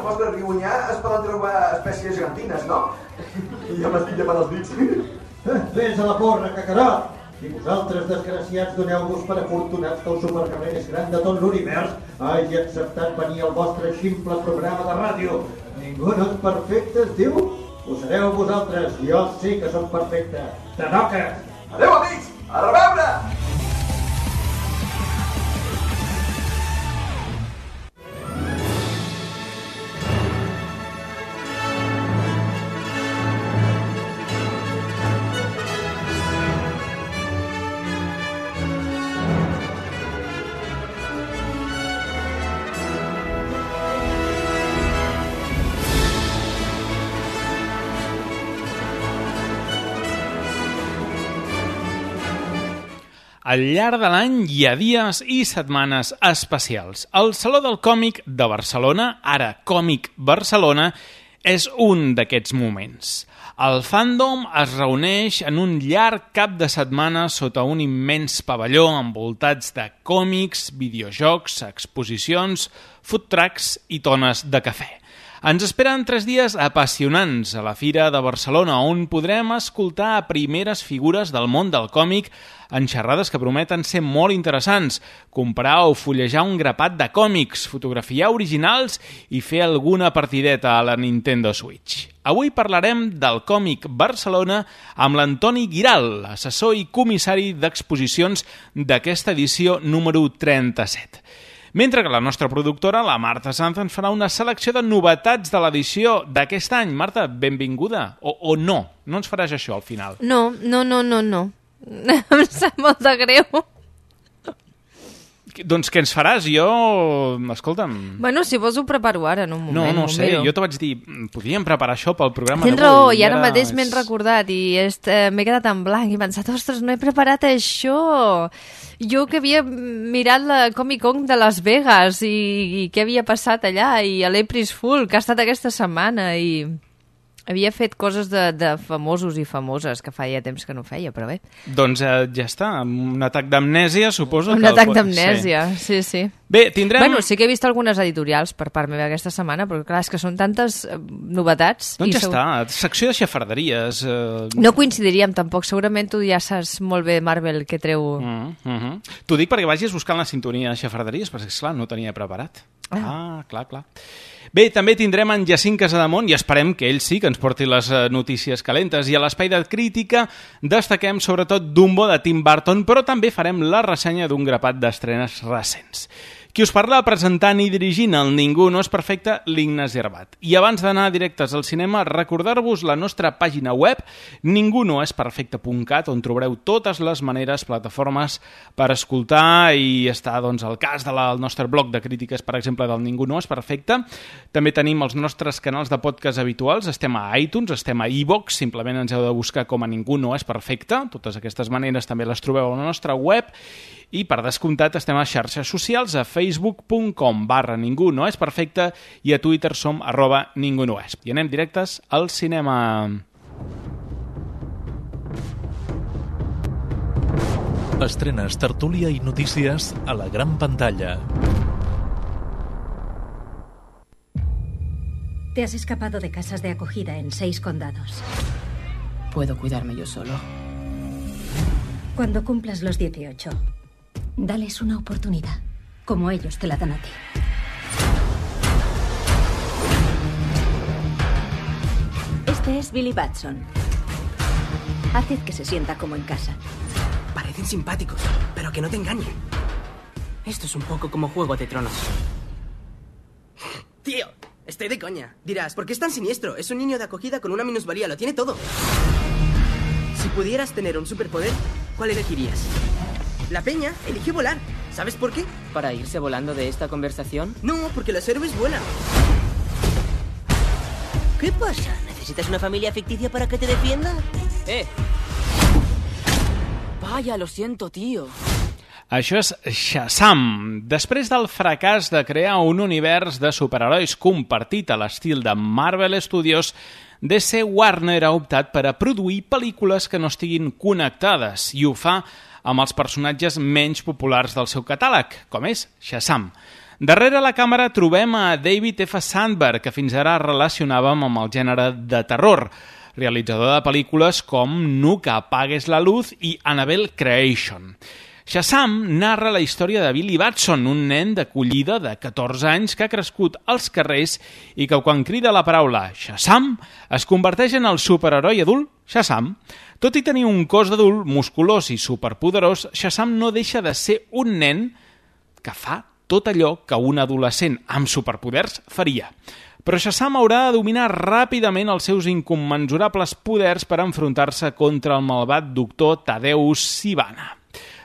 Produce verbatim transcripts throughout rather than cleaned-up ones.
vostre riunyà es poden trobar espècies gegantines, no? I ja m'estic llamant els dits. Vés a la porra, cacarot! I vosaltres, desgraciats, doneu-vos per afortunats que el supercarrer més gran de tot l'univers hagi acceptat venir al vostre ximple programa de ràdio. Ningú no és perfecte, es diu? Ho sereu vosaltres, jo sí que sóc perfecte. Te toca! Adéu, amics! A reveure! Al llarg de l'any hi ha dies i setmanes especials. El Saló del Còmic de Barcelona, ara Còmic Barcelona, és un d'aquests moments. El fandom es reuneix en un llarg cap de setmana sota un immens pavelló envoltats de còmics, videojocs, exposicions, food trucks i tones de cafè. Ens esperen tres dies apassionants a la Fira de Barcelona, on podrem escoltar a primeres figures del món del còmic en xerrades que prometen ser molt interessants, comprar o fullejar un grapat de còmics, fotografiar originals i fer alguna partideta a la Nintendo Switch. Avui parlarem del Còmic Barcelona amb l'Antoni Guiral, assessor i comissari d'exposicions d'aquesta edició número trenta-set. Mentre que la nostra productora, la Marta Sanz, ens farà una selecció de novetats de l'edició d'aquest any. Marta, benvinguda. O, o no? No ens faràs això al final? No, no, no, no, no. Em sap molt de greu. Doncs què ens faràs? Jo... Escolta'm... Bueno, si vols ho preparo ara, en un moment. No, no sé, jo te vaig dir, podríem preparar això pel programa Tens d'avui. raó, i ara és... mateix m'he recordat i est, eh, m'he quedat en blanc i he pensat, ostres, no he preparat això. Jo que havia mirat la Comic Con de Las Vegas i, i què havia passat allà, i a l'April's Fool, que ha estat aquesta setmana, i... Havia fet coses de, de famosos i famoses que feia temps que no feia, però bé. Doncs eh, ja està, un atac d'amnèsia, suposo. Un que atac el... d'amnèsia, sí, sí. Bé, tindrem... Bueno, sí que he vist algunes editorials per part meva aquesta setmana, però clar, és que són tantes eh, novetats. Doncs i ja segur... està, secció de xafarderies. Eh... No coincidiríem tampoc, segurament tu ja saps molt bé Marvel que treu... Mm, mm -hmm. T'ho dic perquè vagis buscant la sintonia de xafarderies, perquè esclar, no tenia preparat. Ah, ah clar, clar. Bé, també tindrem en Jacint Casademont i esperem que ell sí que ens porti les notícies calentes. I a l'espai de crítica destaquem sobretot Dumbo de Tim Burton, però també farem la ressenya d'un grapat d'estrenes recents. Qui us parla presentant i dirigint el Ningú no és perfecte, l'Ignasi Arbat. I abans d'anar directes al cinema, recordar-vos la nostra pàgina web ningú no és perfecte punt cat, on trobareu totes les maneres, plataformes per escoltar i estar doncs, al cas del nostre blog de crítiques, per exemple, del Ningú no és perfecte. També tenim els nostres canals de podcast habituals, estem a iTunes, estem a iVoox, simplement ens heu de buscar com a Ningú no és perfecte. Totes aquestes maneres també les trobeu a la nostra web. I per descomptat estem a xarxes socials, a facebook punt com barra ningú no és perfecte i a Twitter som arroba ningú no és. I anem directes al cinema. Estrenes, tertúlia i notícies a la gran pantalla. Te has escapado de casas de acogida en seis condados. Puedo cuidarme yo solo. Cuando cumplas los dieciocho, dales una oportunidad, como ellos te la dan a ti. Este es Billy Batson. Haced que se sienta como en casa. Parecen simpáticos, pero que no te engañen. Esto es un poco como Juego de Tronos. Tío, estoy de coña. Dirás, ¿por qué es tan siniestro? Es un niño de acogida con una minusvalía, lo tiene todo. Si pudieras tener un superpoder, ¿cuál elegirías? La peña eligió volar. ¿Sabes por qué? ¿Para irse volando de esta conversación? No, porque los héroes vuelan. ¿Qué pasa? ¿Necesitas una familia ficticia para que te defienda? ¡Eh! Vaya, lo siento, tío. Això és Shazam. Després del fracàs de crear un univers de superherois compartit a l'estil de Marvel Studios, D C Warner ha optat per a produir pel·lícules que no estiguin connectades i ho fa amb els personatges menys populars del seu catàleg, com és Shazam. Darrere la càmera trobem a David F. Sandberg, que fins ara relacionàvem amb el gènere de terror, realitzador de pel·lícules com Nunca apagues la luz i Annabelle Creation. Shazam narra la història de Billy Batson, un nen d'acollida de catorze anys que ha crescut als carrers i que quan crida la paraula Shazam es converteix en el superheroi adult Shazam. Tot i tenir un cos d'adult musculós i superpoderós, Shazam no deixa de ser un nen que fa tot allò que un adolescent amb superpoders faria. Però Shazam haurà de dominar ràpidament els seus incommensurables poders per enfrontar-se contra el malvat doctor Tadeusz Sivana.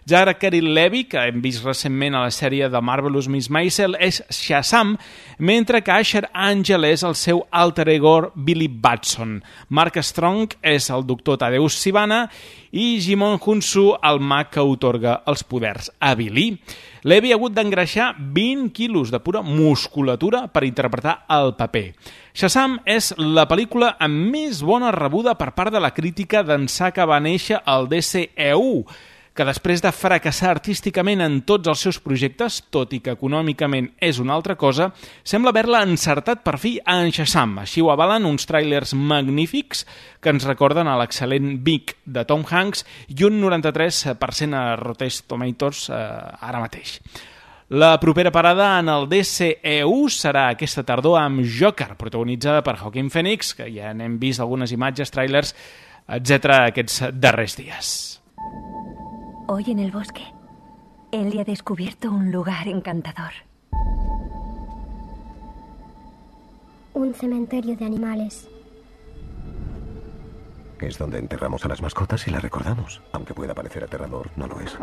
Zachary Levi, que hem vist recentment a la sèrie de Marvelous Miss Maisel, és Shazam, mentre que Asher Angel és el seu alter ego Billy Batson. Mark Strong és el doctor Tadeusz Sivana i Jimon Hunsu el mag que otorga els poders a Billy. Levi ha hagut d'engreixar vint quilos de pura musculatura per interpretar el paper. Shazam és la pel·lícula amb més bona rebuda per part de la crítica d'ençà que va néixer el D C E U, que després de fracassar artísticament en tots els seus projectes, tot i que econòmicament és una altra cosa, sembla haver-la encertat per fi en Shazam. Així ho avalen uns tràilers magnífics que ens recorden a l'excel·lent Vic de Tom Hanks i un noranta-tres per cent a Rotten Tomatoes eh, ara mateix. La propera parada en el D C E U serà aquesta tardor amb Joker, protagonitzada per Joaquin Phoenix, que ja n'hem vist algunes imatges, tràilers, etcètera aquests darrers dies. Hoy en el bosque, Ellie ha descubierto un lugar encantador. Un cementerio de animales. Es donde enterramos a las mascotas y las recordamos. Aunque pueda parecer aterrador, no lo es.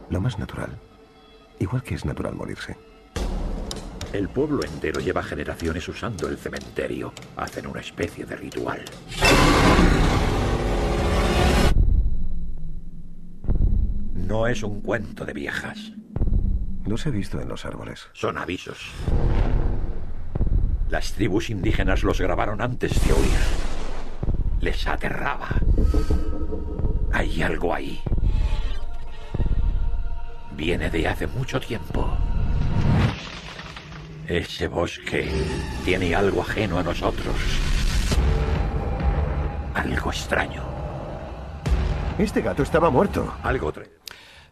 Lo más natural. Igual que es natural morirse. El pueblo entero lleva generaciones usando el cementerio. Hacen una especie de ritual. No es un cuento de viejas. Los he visto en los árboles. Son avisos. Las tribus indígenas los grabaron antes de oír. Les aterraba. Hay algo ahí. Viene de hace mucho tiempo. Ese bosque tiene algo ajeno a nosotros. Algo extraño. Este gato estaba muerto. Algo tre...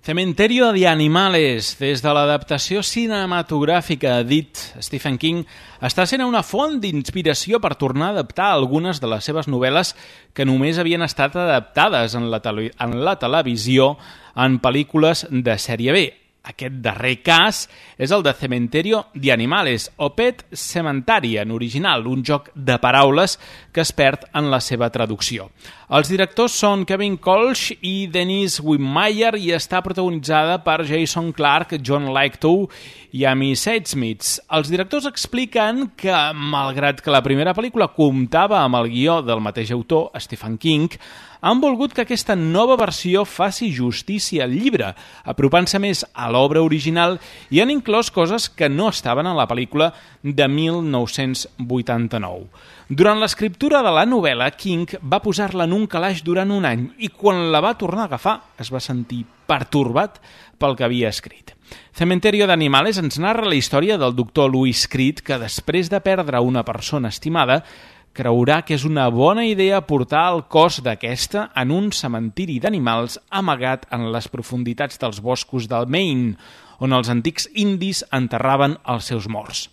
Cementerio de Animales, des de l'adaptació cinematogràfica d'It, Stephen King, està sent una font d'inspiració per tornar a adaptar algunes de les seves novel·les que només havien estat adaptades en la, tele en la televisió en pel·lícules de sèrie B. Aquest darrer cas és el de Cementerio de Animales, o Pet Sematary en original, un joc de paraules que es perd en la seva traducció. Els directors són Kevin Kolsch i Dennis Whitmire i està protagonitzada per Jason Clarke, John Lithgow i Amy Seidsmith. Els directors expliquen que, malgrat que la primera pel·lícula comptava amb el guió del mateix autor, Stephen King, han volgut que aquesta nova versió faci justícia al llibre, apropant-se més a l'obra original i han inclòs coses que no estaven a la pel·lícula de mil nou-cents vuitanta-nou. Durant l'escriptura de la novel·la, King va posar-la en un calaix durant un any i quan la va tornar a agafar es va sentir pertorbat pel que havia escrit. Cementerio de Animales ens narra la història del doctor Louis Creed que després de perdre una persona estimada creurà que és una bona idea portar el cos d'aquesta en un cementiri d'animals amagat en les profunditats dels boscos del Maine, on els antics indis enterraven els seus morts.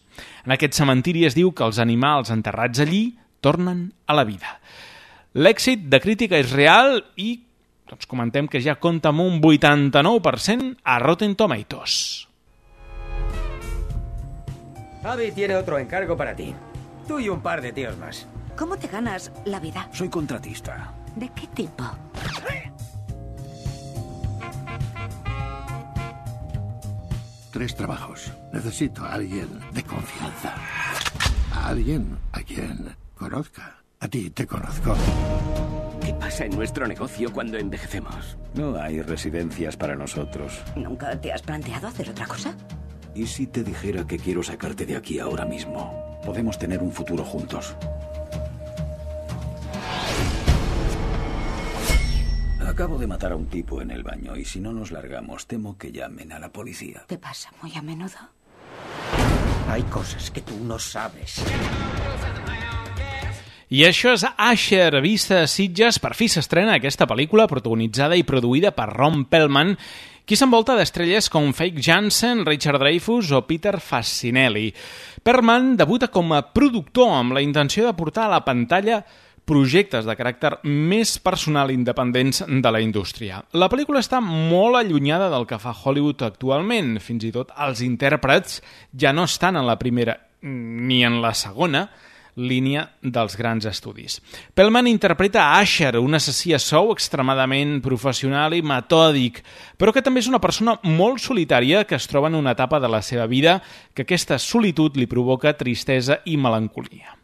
En aquest cementiri es diu que els animals enterrats allí tornen a la vida. L'èxit de crítica és real i doncs, comentem que ja compta amb un vuitanta-nou per cent a Rotten Tomatoes. Abby tiene otro encargo para ti. Tú y un par de tíos más. ¿Cómo te ganas la vida? Soy contratista. ¿De qué tipo? Tres trabajos. Necesito a alguien de confianza. A alguien a quien conozca. A ti te conozco. ¿Qué pasa en nuestro negocio cuando envejecemos? No hay residencias para nosotros. ¿Nunca te has planteado hacer otra cosa? ¿Y si te dijera que quiero sacarte de aquí ahora mismo? Podemos tener un futuro juntos. Acabo de matar a un tipo en el baño y si no nos largamos temo que llamen a la policía. ¿Te pasa muy a menudo? Hay cosas que tú no sabes. I això és Asher, vista a Sitges. Per fi s'estrena aquesta pel·lícula protagonitzada i produïda per Ron Perlman, qui s'envolta d'estrelles com Fake Jansen, Richard Dreyfuss o Peter Facinelli. Perlman debuta com a productor amb la intenció de portar a la pantalla projectes de caràcter més personal i independents de la indústria. La pel·lícula està molt allunyada del que fa Hollywood actualment. Fins i tot els intèrprets ja no estan en la primera ni en la segona línia dels grans estudis. Perlman interpreta a Asher, un assassí a sou extremadament professional i metòdic, però que també és una persona molt solitària que es troba en una etapa de la seva vida que aquesta solitud li provoca tristesa i melancolia.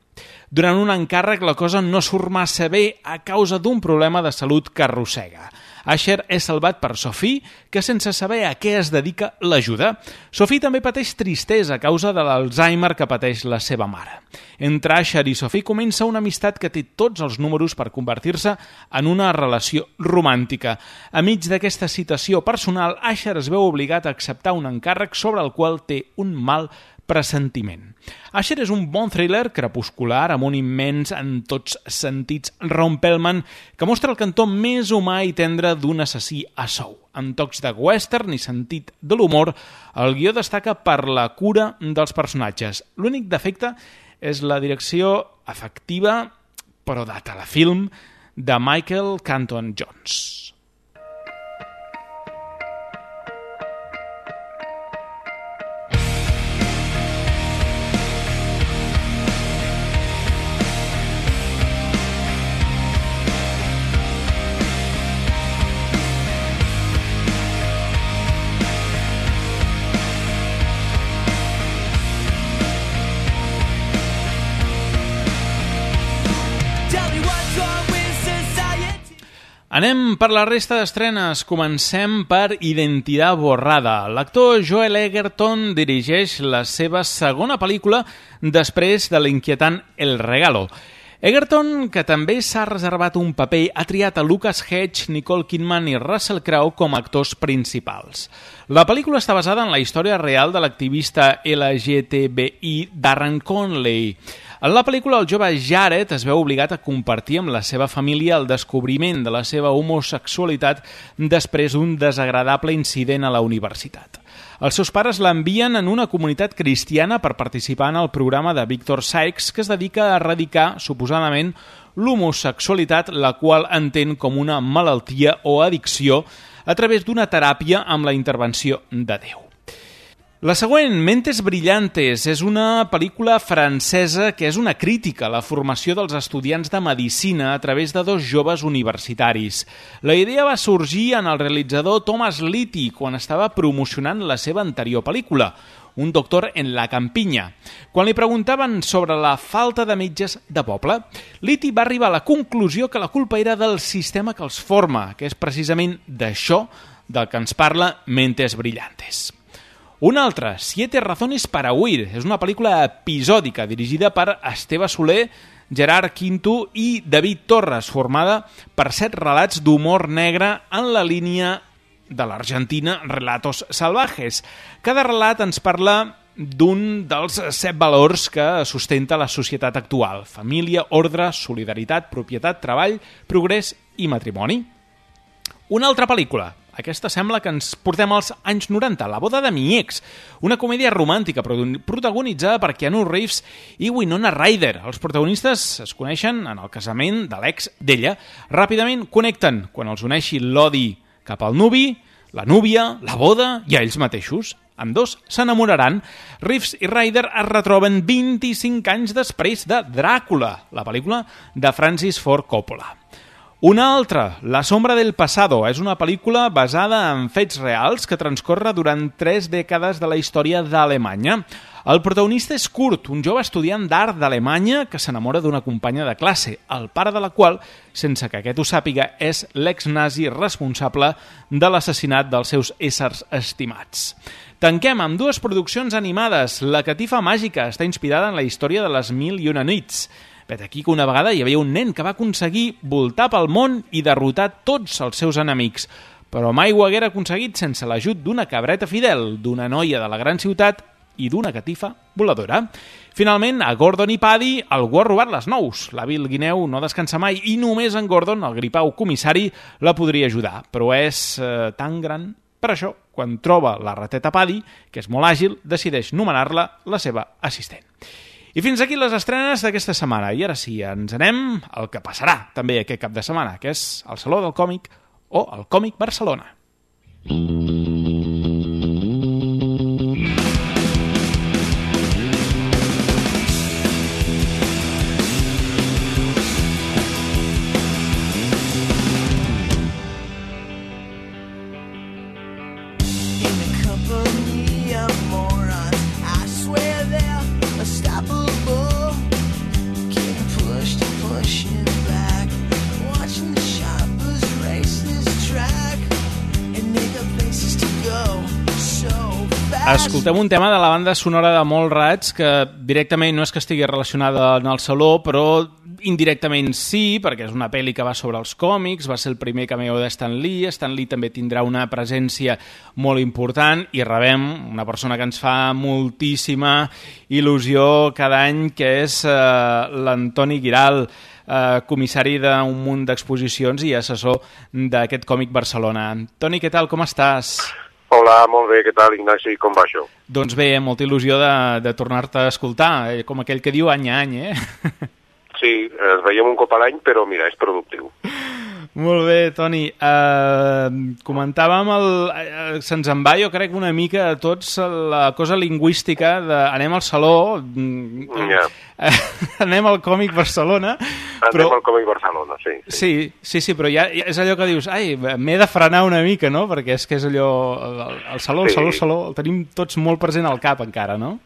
Durant un encàrrec la cosa no surt massa bé a causa d'un problema de salut que arrossega. Asher és salvat per Sophie, que sense saber a què es dedica l'ajuda. Sophie també pateix tristesa a causa de l'Alzheimer que pateix la seva mare. Entre Asher i Sophie comença una amistat que té tots els números per convertir-se en una relació romàntica. A mig d'aquesta situació personal, Asher es veu obligat a acceptar un encàrrec sobre el qual té un mal pressentiment. Asher és un bon thriller crepuscular amb un immens en tots sentits Ron Perlman que mostra el cantó més humà i tendre d'un assassí a sou. Amb tocs de western i sentit de l'humor, el guió destaca per la cura dels personatges. L'únic defecte és la direcció efectiva, però de telefilm, de Michael Canton Jones. Anem per la resta d'estrenes. Comencem per Identidad borrada. L'actor Joel Edgerton dirigeix la seva segona pel·lícula després de l'inquietant El regalo. Edgerton, que també s'ha reservat un paper, ha triat a Lucas Hedges, Nicole Kidman i Russell Crowe com a actors principals. La pel·lícula està basada en la història real de l'activista L G T B I Darren Conley. En la pel·lícula, el jove Jared es veu obligat a compartir amb la seva família el descobriment de la seva homosexualitat després d'un desagradable incident a la universitat. Els seus pares l'envien en una comunitat cristiana per participar en el programa de Victor Sykes, que es dedica a erradicar, suposadament, l'homosexualitat, la qual entén com una malaltia o addicció a través d'una teràpia amb la intervenció de Déu. La següent, Mentes brillantes, és una pel·lícula francesa que és una crítica a la formació dels estudiants de medicina a través de dos joves universitaris. La idea va sorgir en el realitzador Thomas Litti quan estava promocionant la seva anterior pel·lícula, Un doctor en la campinya. Quan li preguntaven sobre la falta de metges de poble, Litti va arribar a la conclusió que la culpa era del sistema que els forma, que és precisament d'això del que ens parla Mentes brillantes. Una altra, Siete razones para huir, és una pel·lícula episòdica dirigida per Esteve Soler, Gerard Quinto i David Torres, formada per set relats d'humor negre en la línia de l'Argentina Relatos Salvajes. Cada relat ens parla d'un dels set valors que sustenta la societat actual: família, ordre, solidaritat, propietat, treball, progrés i matrimoni. Una altra pel·lícula. Aquesta sembla que ens portem als anys noranta, La boda de mi ex, una comèdia romàntica protagonitzada per Keanu Reeves i Winona Ryder. Els protagonistes es coneixen en el casament de l'ex d'ella. Ràpidament connecten quan els uneixi l'odi cap al nuvi, la núvia, la boda i a ells mateixos. Ambdós s'enamoraran. Reeves i Ryder es retroben vint-i-cinc anys després de Dràcula, la pel·lícula de Francis Ford Coppola. Una altra, La sombra del pasado, és una pel·lícula basada en fets reals que transcorre durant tres dècades de la història d'Alemanya. El protagonista és Kurt, un jove estudiant d'art d'Alemanya que s'enamora d'una companya de classe, el pare de la qual, sense que aquest ho sàpiga, és l'ex-nazi responsable de l'assassinat dels seus éssers estimats. Tanquem amb dues produccions animades. La catifa màgica està inspirada en la història de les Mil i una nits. Vet aquí que una vegada hi havia un nen que va aconseguir voltar pel món i derrotar tots els seus enemics, però mai ho haguera aconseguit sense l'ajut d'una cabreta fidel, d'una noia de la gran ciutat i d'una catifa voladora. Finalment, a Gordon i Paddy algú ha robat les nous. L'avi Guineu no descansa mai i només en Gordon, el gripau comissari, la podria ajudar. Però és eh, tan gran. Per això, quan troba la rateta Paddy, que és molt àgil, decideix nomenar-la la seva assistent. I fins aquí les estrenes d'aquesta setmana. I ara sí, ens anem al que passarà també aquest cap de setmana, que és el Saló del Còmic o el Còmic Barcelona. Escoltem un tema de la banda sonora de Molts Rats que directament no és que estigui relacionada en el Saló, però indirectament sí, perquè és una pel·li que va sobre els còmics, va ser el primer cameo de Stan Lee. Stan Lee també tindrà una presència molt important i rebem una persona que ens fa moltíssima il·lusió cada any, que és eh, l'Antoni Guiral, eh, comissari d'un munt d'exposicions i assessor d'aquest Còmic Barcelona. Toni, què tal, com estàs? Hola, molt bé, què tal, Ignasi, com va això? Doncs bé, molta il·lusió de, de tornar-te a escoltar, com aquell que diu any a any, eh? Sí, ens veiem un cop a l'any, però mira, és productiu. Molt bé, Toni. Uh, comentàvem, el, uh, se'ns en va, jo crec, una mica a tots la cosa lingüística de anem al Saló, yeah. anem al Còmic Barcelona. Anem però... al Còmic Barcelona, sí. Sí, sí, sí, sí però ja, ja és allò que dius, ai, m'he de frenar una mica, no? Perquè és que és allò, el, el Saló, el sí. Saló, el Saló, el tenim tots molt present al cap encara, no?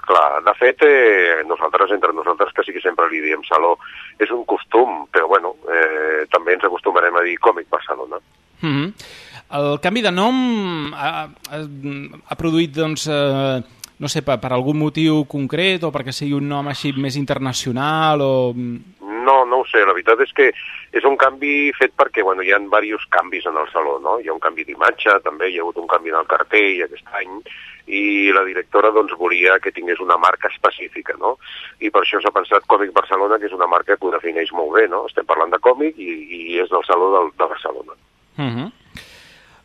Clar, de fet, eh, nosaltres, entre nosaltres, que sí que sempre li diem Saló, és un costum, però bueno, eh, també ens acostumarem a dir Còmic Barcelona. Mm-hmm. El canvi de nom ha, ha, ha produït, doncs, eh, no sé, per, per algun motiu concret o perquè sigui un nom així més internacional o... No, no ho sé, la veritat és que és un canvi fet perquè, bueno, hi ha diversos canvis en el Saló, no? Hi ha un canvi d'imatge, també hi ha hagut un canvi en el cartell aquest any, i la directora doncs volia que tingués una marca específica, no? I per això s'ha pensat Còmic Barcelona, que és una marca que ho defineix molt bé, no? Estem parlant de còmic i, i és del Saló del, de Barcelona. Uh-huh.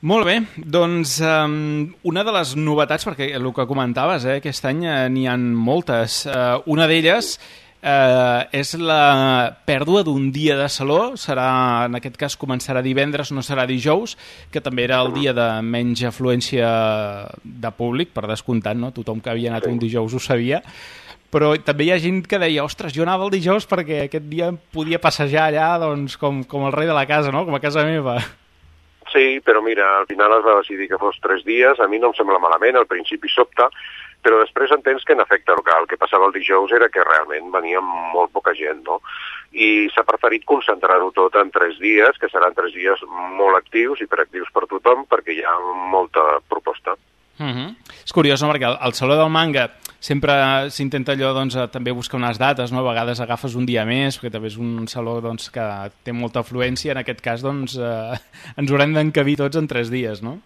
Molt bé, doncs um, una de les novetats, perquè el que comentaves, eh, aquest any eh, n'hi ha moltes, uh, una d'elles eh, és la pèrdua d'un dia de Saló, serà, en aquest cas començarà divendres, no serà dijous, que també era el dia de menys afluència de públic, per descomptat, no? Tothom que havia anat un dijous ho sabia, però també hi ha gent que deia, ostres, jo anava el dijous perquè aquest dia podia passejar allà doncs, com, com el rei de la casa, no? Com a casa meva. Sí, però mira, al final es va decidir que fos tres dies, a mi no em sembla malament, al principi sobta, però després entens que en efecte el que, el que passava el dijous era que realment venia molt poca gent, no? I s'ha preferit concentrar-ho tot en tres dies, que seran tres dies molt actius i hiperactius per tothom, perquè hi ha molta proposta. Uh-huh. És curiós, no?, perquè al, al Saló del Manga sempre s'intenta allò, doncs, també buscar unes dates, no? A vegades agafes un dia més, perquè també és un saló, doncs, que té molta afluència, en aquest cas, doncs, eh, ens haurem d'encabir tots en tres dies, no?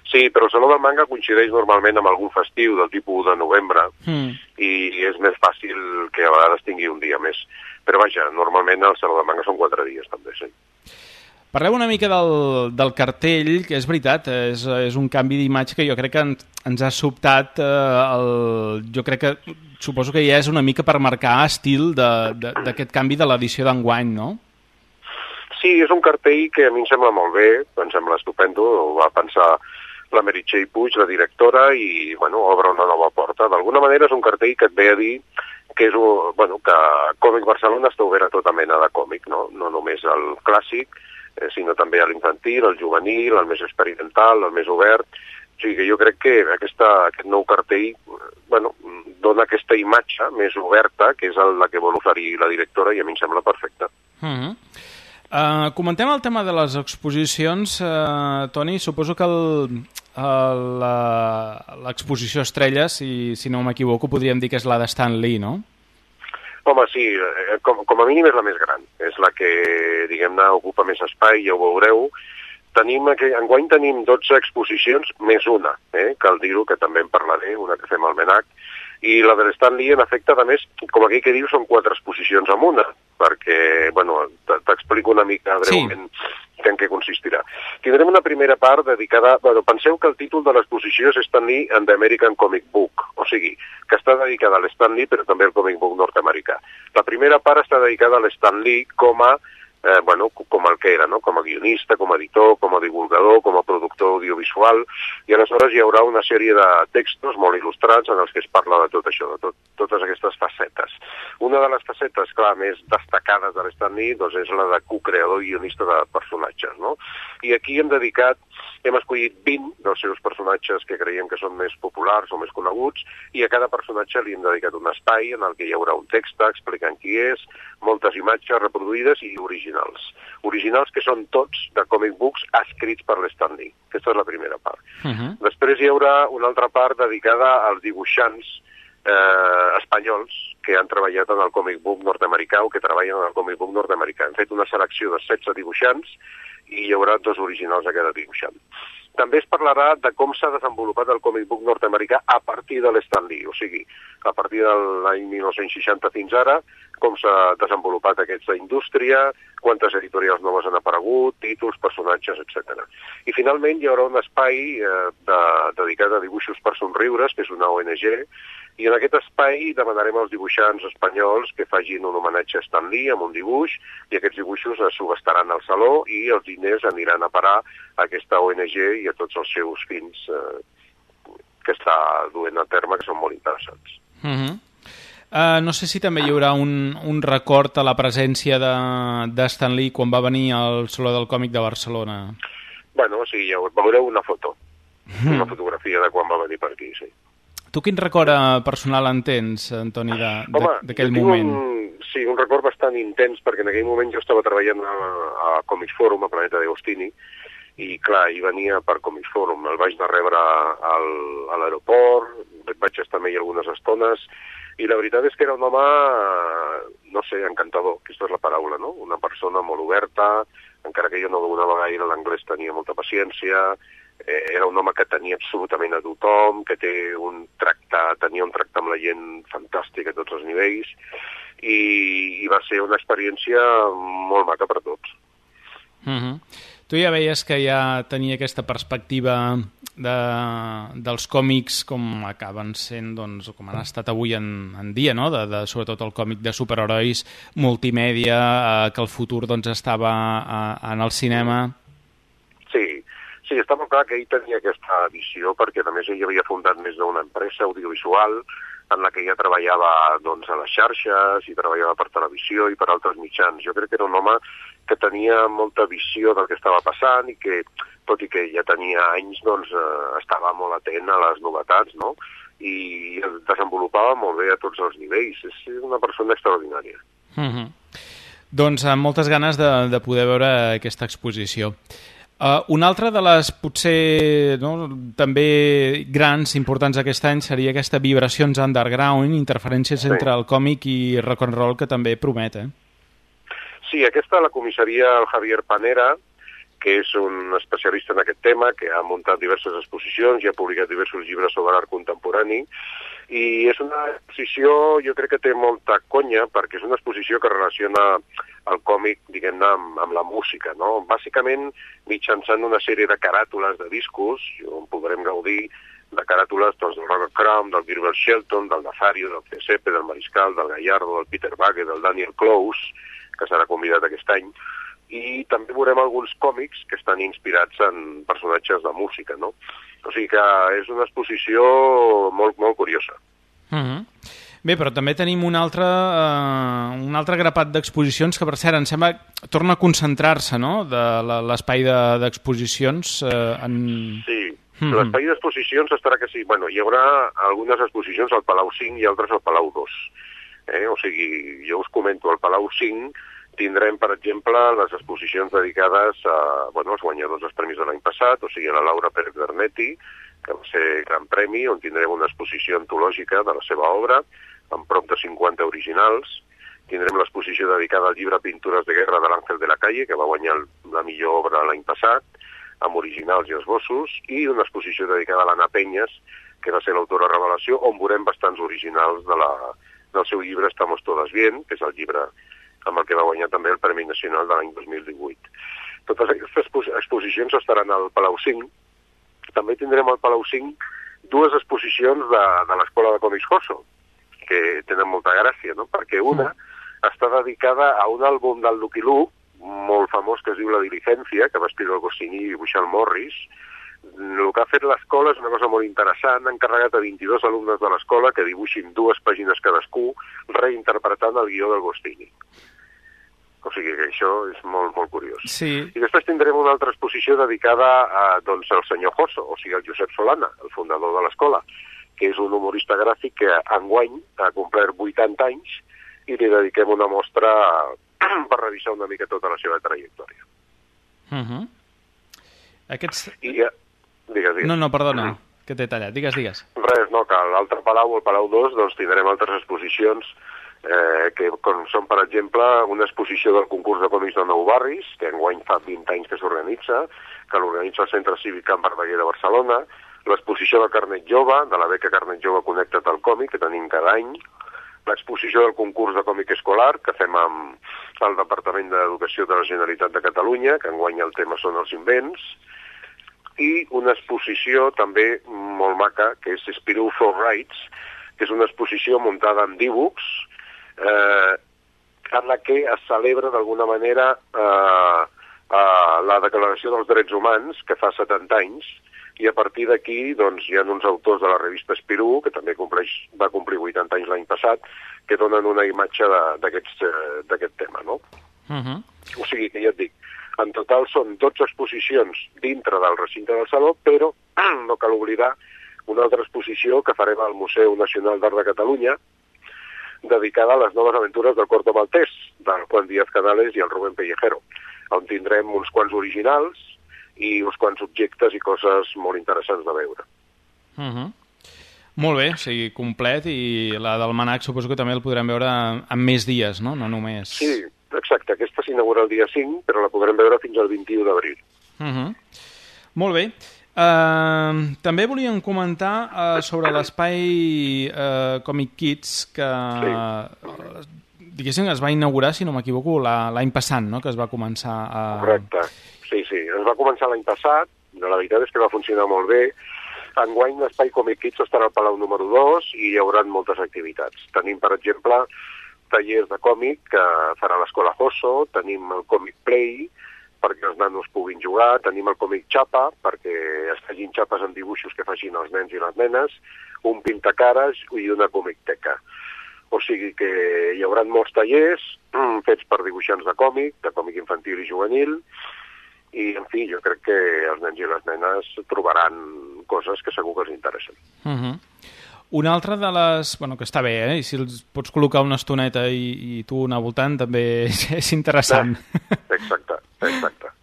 Sí, però el Saló del Manga coincideix normalment amb algun festiu del tipus de novembre mm. i és més fàcil que a vegades tingui un dia més. Però vaja, normalment el Saló del Manga són quatre dies també, sí. Parleu una mica del, del cartell, que és veritat, és, és un canvi d'imatge que jo crec que en, ens ha sobtat, eh, el, jo crec que suposo que ja és una mica per marcar estil d'aquest canvi de l'edició d'enguany, no? Sí, és un cartell que a mi em sembla molt bé, em sembla estupendo, ho va pensar la Meritxell Puig, la directora, i bueno, obre una nova porta. D'alguna manera és un cartell que et ve a dir que, és, bueno, que Còmic Barcelona està obert a tota mena de còmic, no, no només el clàssic, eh, sinó també a l'infantil, al juvenil, al més experimental, al més obert. O sigui que jo crec que aquesta, aquest nou cartell bueno, dona aquesta imatge més oberta, que és la que vol oferir la directora, i a mi em sembla perfecta. Mm-hmm. Uh, comentem el tema de les exposicions, uh, Toni. Suposo que l'exposició estrella, si, si no m'equivoco, podríem dir que és la de Stan Lee, no? Home, sí, com, com a mínim és la més gran. És la que, diguem-ne, ocupa més espai, ja ho veureu, tenim, enguany tenim dotze exposicions, més una, eh? Cal dir-ho, que també en parlaré, una que fem al Menac, i la de l'Stan Lee, en efecte, a més, com aquell que diu, són quatre exposicions en una, perquè, bueno, t'explico una mica breument sí. en què consistirà. Tindrem una primera part dedicada... Bueno, penseu que el títol de l'exposició és Stan Lee and the American Comic Book, o sigui, que està dedicada a l'Stan Lee, però també al comic book nord-americà. La primera part està dedicada a l'Stan Lee com a Eh, bueno, com el que era, no? Com a guionista, com a editor, com a divulgador, com a productor audiovisual, i aleshores hi haurà una sèrie de textos molt il·lustrats en els que es parla de tot això, de tot, totes aquestes facetes. Una de les facetes, clar, més destacades de l'Stan Lee, doncs és la de co-creador i guionista de personatges, no? I aquí hem dedicat, hem escollit vint dels seus personatges que creiem que són més populars o més coneguts, i a cada personatge li hem dedicat un espai en el que hi haurà un text explicant qui és, moltes imatges reproduïdes i originals. Originals que són tots de comic books escrits per l'Stan Lee. Aquesta és la primera part. Uh-huh. Després hi haurà una altra part dedicada als dibuixants eh, espanyols que han treballat en el comic book nord-americà o que treballen en el comic book nord-americà. Hem fet una selecció de setze dibuixants i hi haurà dos originals a cada dibuixant. També es parlarà de com s'ha desenvolupat el comic book nord-americà a partir de l'Stan Lee, o sigui, a partir de l'any mil nou-cents seixanta fins ara, com s'ha desenvolupat aquesta indústria, quantes editorials noves han aparegut, títols, personatges, etcètera. I finalment hi haurà un espai eh, de, dedicat a dibuixos per somriures, que és una O N G, i en aquest espai demanarem als dibuixants espanyols que facin un homenatge a Stan Lee amb un dibuix, i aquests dibuixos es subestaran al saló i els diners aniran a parar a aquesta O N G i a tots els seus fins eh, que està duent a terme, que són molt interessants. Uh-huh. Uh, no sé si també hi haurà un, un record a la presència de, de Stan Lee quan va venir al Saló del Còmic de Barcelona. Bueno, sí, ja veureu una foto, mm. una fotografia de quan va venir per aquí, sí. Tu quin record personal en tens, Antoni, d'aquell moment? Un, sí, un record bastant intens, perquè en aquell moment jo estava treballant a, a Comics Forum, a Planeta de Agostini, i clar, hi venia per Comics Forum. El vaig anar a rebre al, a l'aeroport, vaig estar amb ell algunes estones, i la veritat és que era un home, no sé, encantador, aquesta és la paraula, no? Una persona molt oberta, encara que jo no donava gaire l'anglès, tenia molta paciència, eh, era un home que tenia absolutament a tothom, que té un tracte, tenia un tracte amb la gent fantàstic a tots els nivells, i, i va ser una experiència molt maca per a tots. Uh-huh. Tu ja veies que ja tenia aquesta perspectiva de, dels còmics com acaben sent, doncs, com han estat avui en, en dia, no? de, de, sobretot el còmic de superherois, multimèdia, eh, que el futur doncs, estava eh, en el cinema. Sí, sí, està molt clar que ell tenia aquesta visió, perquè a més ell havia fundat més d'una empresa audiovisual en la que ja treballava doncs, a les xarxes i treballava per televisió i per altres mitjans. Jo crec que era un home que tenia molta visió del que estava passant i que, tot i que ja tenia anys, doncs, eh, estava molt atent a les novetats, no? I es desenvolupava molt bé a tots els nivells. És una persona extraordinària. Mm-hmm. Doncs amb moltes ganes de, de poder veure aquesta exposició. Uh, una altra de les, potser, no, també grans, importants aquest any, seria aquesta Vibracions Underground, interferències sí. entre el còmic i rock and roll, que també promet, eh? Sí, aquesta la comissaria el Javier Panera, que és un especialista en aquest tema, que ha muntat diverses exposicions i ha publicat diversos llibres sobre art contemporani, i és una exposició, jo crec que té molta conya, perquè és una exposició que relaciona el còmic, diguem-ne, amb, amb la música, no? Bàsicament, mitjançant una sèrie de caràtules de discos, on podrem gaudir de caràtules doncs, del Robert Crumb, del Gilbert Shelton, del Nazario, del Giuseppe, del Mariscal, del Gallardo, del Peter Bagge, del Daniel Close, que serà convidat aquest any, i també veurem alguns còmics que estan inspirats en personatges de música, no? O sigui que és una exposició molt, molt curiosa. Mm-hmm. Bé, però també tenim un altre, uh, un altre grapat d'exposicions que, per cert, em sembla que torna a concentrar-se, no?, de l'espai d'exposicions. De, uh, en... Sí, mm-hmm. L'espai d'exposicions estarà que sí. Bueno, hi haurà algunes exposicions al Palau cinc i altres al Palau dos. Eh? O sigui, jo us comento, al Palau cinc tindrem, per exemple, les exposicions dedicades a, bueno, als guanyadors dels premis de l'any passat, o sigui, a la Laura Pérez Bernetti, que va ser Gran Premi, on tindrem una exposició antològica de la seva obra, amb prop de cinquanta originals. Tindrem l'exposició dedicada al llibre Pintures de guerra de l'Àngel de la Calle, que va guanyar la millor obra l'any passat. amb originals i esbossos, i una exposició dedicada a l'Anna Penyes, que va ser l'autora Revelació, on veurem bastants originals de la, del seu llibre Estamos todas bien, que és el llibre amb el que va guanyar també el Premi Nacional de l'any dos mil divuit. Totes aquestes exposicions estaran al Palau cinc. També tindrem al Palau cinc dues exposicions de, de l'Escola de Còmics Josso, que tenen molta gràcia, no? Perquè una està dedicada a un àlbum del Lucky Luke, molt famós, que es diu La Diligencia, que va escriure el Goscinny i dibuixar el Morris. El que ha fet l'escola és una cosa molt interessant. Han encarregat a vint-i-dos alumnes de l'escola que dibuixin dues pàgines cadascú, reinterpretant el guió del Goscinny. O sigui que això és molt, molt curiós. Sí. I després tindrem una altra exposició dedicada a, doncs, al senyor Josso, o sigui, al Josep Solana, el fundador de l'escola, que és un humorista gràfic que enguany ha complert vuitanta anys i li dediquem una mostra per revisar una mica tota la seva trajectòria. Uh-huh. Aquests... I, uh, digues, digues. No, no, perdona, uh-huh. que t'he tallat. Digues, digues. Res, no, que a l'altre Palau, el Palau dos, doncs tindrem altres exposicions eh, que com són, per exemple, una exposició del concurs de còmics de Nou Barris, que enguany fa vint anys que s'organitza, que l'organitza el Centre Cívic Can Verdaguer de Barcelona, l'exposició de Carnet Jove, de la beca Carnet Jove Connecta't al Còmic, que tenim cada any, l'exposició del concurs de còmic escolar, que fem amb el Departament d'Educació de la Generalitat de Catalunya, que enguany el tema són els invents, i una exposició també molt maca, que és Spirou for Rights, que és una exposició muntada en dibuix, eh, en la que es celebra d'alguna manera eh, eh, la Declaració dels Drets Humans, que fa setanta anys, i a partir d'aquí doncs, hi ha uns autors de la revista Spirou, que també compleix, va complir vuitanta anys l'any passat, que donen una imatge d'aquest tema, no? Uh-huh. O sigui que ja et dic, en total són dotze exposicions dintre del recinte del Saló, però no cal oblidar una altra exposició que farem al Museu Nacional d'Art de Catalunya, dedicada a les noves aventures del Corto Maltès, del Juan Díaz Canales i el Rubén Pellejero, on tindrem uns quants originals i uns quants objectes i coses molt interessants de veure. Uh-huh. Molt bé, o sigui, complet, i la del Manac suposo que també el podrem veure en més dies, no? No només... Sí, exacte, aquesta s'inaugura el dia cinc, però la podrem veure fins al vint-i-u d'abril. Uh-huh. Molt bé. Uh, també volíem comentar uh, sobre l'espai uh, Comic Kids, que sí. uh, diguéssim es va inaugurar, si no m'equivoco, l'any passat, no? Que es va començar a... Correcte. Sí, sí, es va començar l'any passat, la veritat és que va funcionar molt bé. Enguany l'Espai Comic Kids estarà al Palau número dos i hi haurà moltes activitats. Tenim, per exemple, tallers de còmic que farà l'Escola Josso, tenim el Comic Play perquè els nanos puguin jugar, tenim el Comic Xapa perquè es facin xapes amb dibuixos que facin els nens i les nenes, un pintacares i una comicteca. O sigui que hi haurà molts tallers fets per dibuixants de còmic, de còmic infantil i juvenil, i, en fi, jo crec que els nens i les nenes trobaran coses que segur que els interessen. Uh-huh. Una altra de les... Bueno, que està bé, eh? I si els pots col·locar una estoneta i, i tu anar voltant també és, és interessant. Exacte, exacte.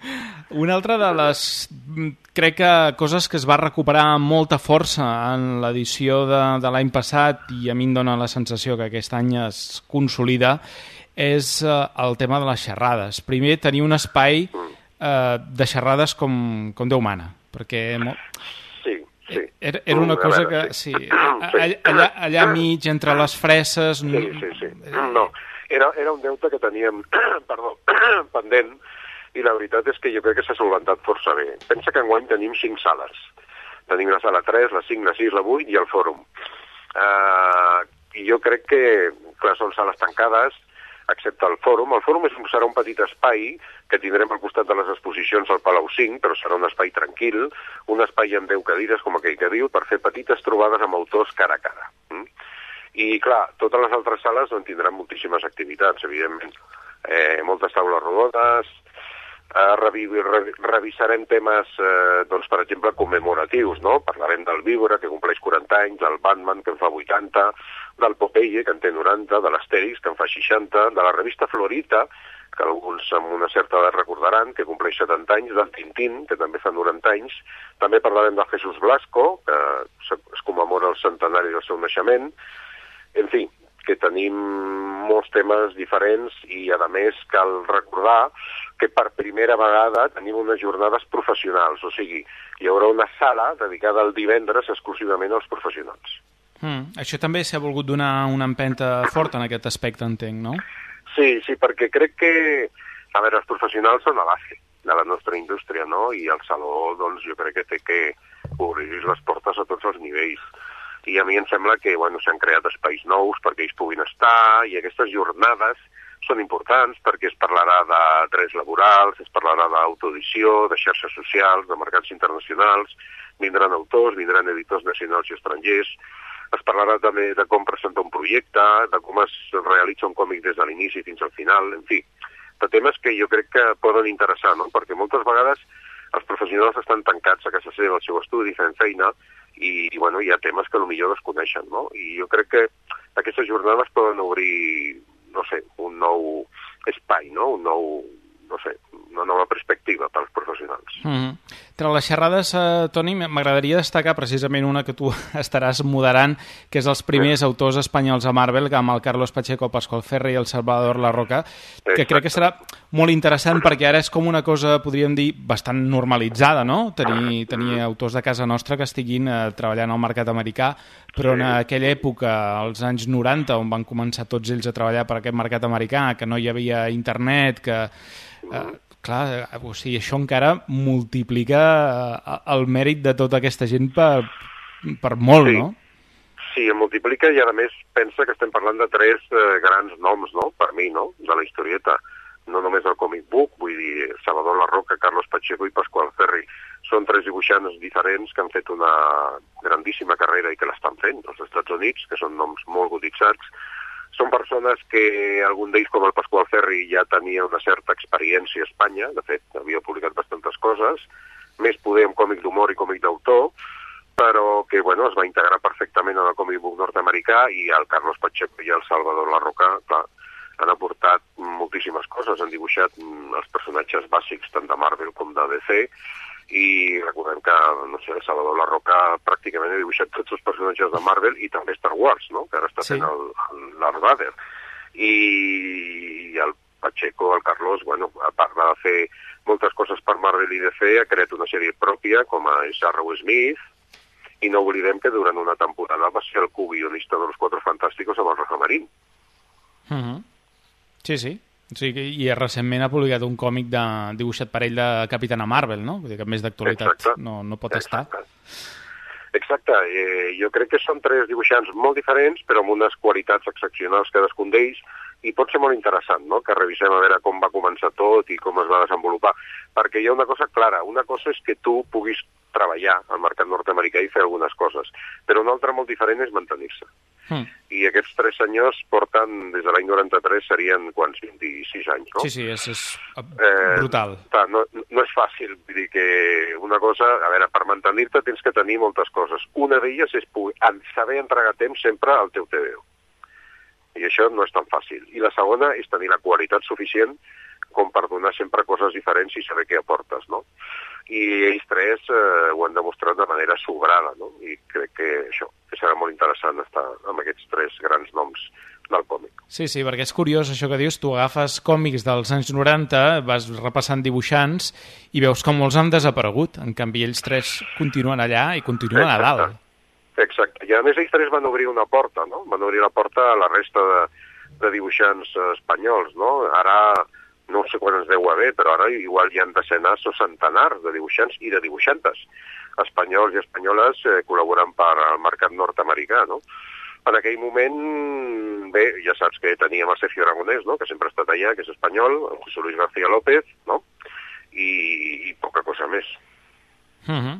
Una altra de les... Crec que coses que es va recuperar amb molta força en l'edició de, de l'any passat, i a mi em dóna la sensació que aquest any es consolida, és uh, el tema de les xerrades. Primer, tenir un espai... Mm. Uh, de xerrades com, com Déu mana, perquè sí, sí. Era, era una cosa que sí, allà, allà mig entre les freses sí, sí, sí. No, era, era un deute que teníem perdó, pendent, i la veritat és que jo crec que s'ha solventat força bé. Pensa que enguany tenim cinc sales, tenim la sala tres, la cinc, la sis, la vuit i el fòrum, uh, i jo crec que clar, són sales tancades excepte el fòrum. El fòrum és, serà un petit espai que tindrem al costat de les exposicions al Palau cinc, però serà un espai tranquil, un espai amb deu cadires, com aquell que diu, per fer petites trobades amb autors cara a cara. Mm? I, clar, totes les altres sales en tindran moltíssimes activitats, evidentment. Eh, moltes taules rodones, eh, revi revi revisarem temes, eh, doncs, per exemple, commemoratius, no? Parlarem del Víbora, que compleix quaranta anys, del Batman, que en fa vuitanta, del Popeye, que en té noranta, de l'Astèrix, que en fa seixanta, de la revista Florita, que alguns amb una certa edat recordaran, que compleix setanta anys, del Tintín, que també fa noranta anys. També parlarem del Jesús Blasco, que es commemora el centenari del seu naixement. En fi, que tenim molts temes diferents i, a més, cal recordar que per primera vegada tenim unes jornades professionals, o sigui, hi haurà una sala dedicada el divendres exclusivament als professionals. Mm, això també s'ha volgut donar una empenta forta en aquest aspecte, entenc, no? Sí, sí, perquè crec que, a veure, els professionals són la base de la nostra indústria, no? I el Saló, doncs, jo crec que té que obrir les portes a tots els nivells. I a mi em sembla que, bueno, s'han creat espais nous perquè ells puguin estar, i aquestes jornades són importants perquè es parlarà de drets laborals, es parlarà d'autoedició, de xarxes socials, de mercats internacionals, vindran autors, vindran editors nacionals i estrangers, es parlarà també de com presentar un projecte, de com es realitza un còmic des de l'inici fins al final, en fi, de temes que jo crec que poden interessar, no? Perquè moltes vegades els professionals estan tancats a casa seva, al seu estudi, fent feina, i, i bueno, hi ha temes que potser desconeixen, no? I jo crec que aquestes jornades poden obrir, no sé, un nou espai, no? Un nou, no sé, una nova perspectiva pels professionals. Mm-hmm. Entre les xerrades, eh, Toni, m'agradaria destacar precisament una que tu estaràs moderant, que és els primers sí. autors espanyols a Marvel, amb el Carlos Pacheco, el Pascual Ferry i el Salvador Larroca, que Exacte. crec que serà molt interessant perquè ara és com una cosa, podríem dir, bastant normalitzada, no? Tenir, tenir autors de casa nostra que estiguin eh, treballant al mercat americà, però en aquella època, als anys noranta, on van començar tots ells a treballar per aquest mercat americà, que no hi havia internet, que... Eh, clar, o sigui, això encara multiplica el mèrit de tota aquesta gent per, per molt, sí. no? Sí, el multiplica i a més pensa que estem parlant de tres eh, grans noms, no?, per mi, no?, de la historieta. No només el comic book, vull dir, Salvador Larroca, Carlos Pacheco i Pascual Ferry. Són tres dibuixants diferents que han fet una grandíssima carrera i que l'estan fent als Estats Units, que són noms molt cotitzats. Són persones que algun d'ells, com el Pascual Ferry, ja tenia una certa experiència a Espanya, de fet, havia publicat bastantes coses, més poder en còmic d'humor i còmic d'autor, però que, bueno, es va integrar perfectament en el còmic book nord-americà i el Carlos Pacheco i el Salvador Larroca, clar, han aportat moltíssimes coses, han dibuixat els personatges bàsics tant de Marvel com de D C, i recordem que, no sé, Salvador Larroca pràcticament ha dibuixat tots els personatges de Marvel i també Star Wars, no?, que ara està fent sí. el, el Darth Vader. I, I el Pacheco, el Carlos, bueno, a part de fer moltes coses per Marvel i D C, ha creat una sèrie pròpia, com a Arrow Smith, i no oblidem que durant una temporada va ser el co-guionista de Los Cuatro Fantásticos amb el Rafa Marín. Uh-huh. Sí, sí. O sigui, i recentment ha publicat un còmic de, dibuixat per ell de Capitana Marvel, no? Vull dir que més d'actualitat no, no pot Exacte. estar. Exacte. Eh, jo crec que són tres dibuixants molt diferents, però amb unes qualitats excepcionals cadascun d'ells, i pot ser molt interessant, no?, que revisem a veure com va començar tot i com es va desenvolupar. Perquè hi ha una cosa clara. Una cosa és que tu puguis treballar al mercat nord-americà i fer algunes coses, però una altra molt diferent és mantenir-se. Mm. I aquests tres senyors porten, des de l'any noranta-tres, serien quants, vint-i-sis anys, no? Sí, sí, és, és brutal. Eh, clar, no, no és fàcil, vull dir que una cosa, a veure, per mantenir-te tens que tenir moltes coses. Una d'elles és poder, saber entregar temps sempre al teu T V O. I això no és tan fàcil. I la segona és tenir la qualitat suficient com per donar sempre coses diferents i saber què aportes, no? I ells tres eh, ho han demostrat de manera sobrada, no? I crec que això, que serà molt interessant estar amb aquests tres grans noms del còmic. Sí, sí, perquè és curiós això que dius, tu agafes còmics dels anys noranta, vas repassant dibuixants i veus com molts han desaparegut, en canvi ells tres continuen allà i continuen Exacte. a dalt. Exacte, i a més ells tres van obrir una porta, no? Van obrir la porta a la resta de, de dibuixants espanyols, no? Ara no sé quan ens deu haver, però ara igual hi ha decenars o centenars de dibuixants i de dibuixantes espanyols i espanyoles eh, col·laborant per al mercat nord-americà, no? En aquell moment, bé, ja saps que teníem el Sergio Aragonés, no?, que sempre ha estat allà, que és espanyol, el José Luis García López, no?, i, i poca cosa més. Uh-huh.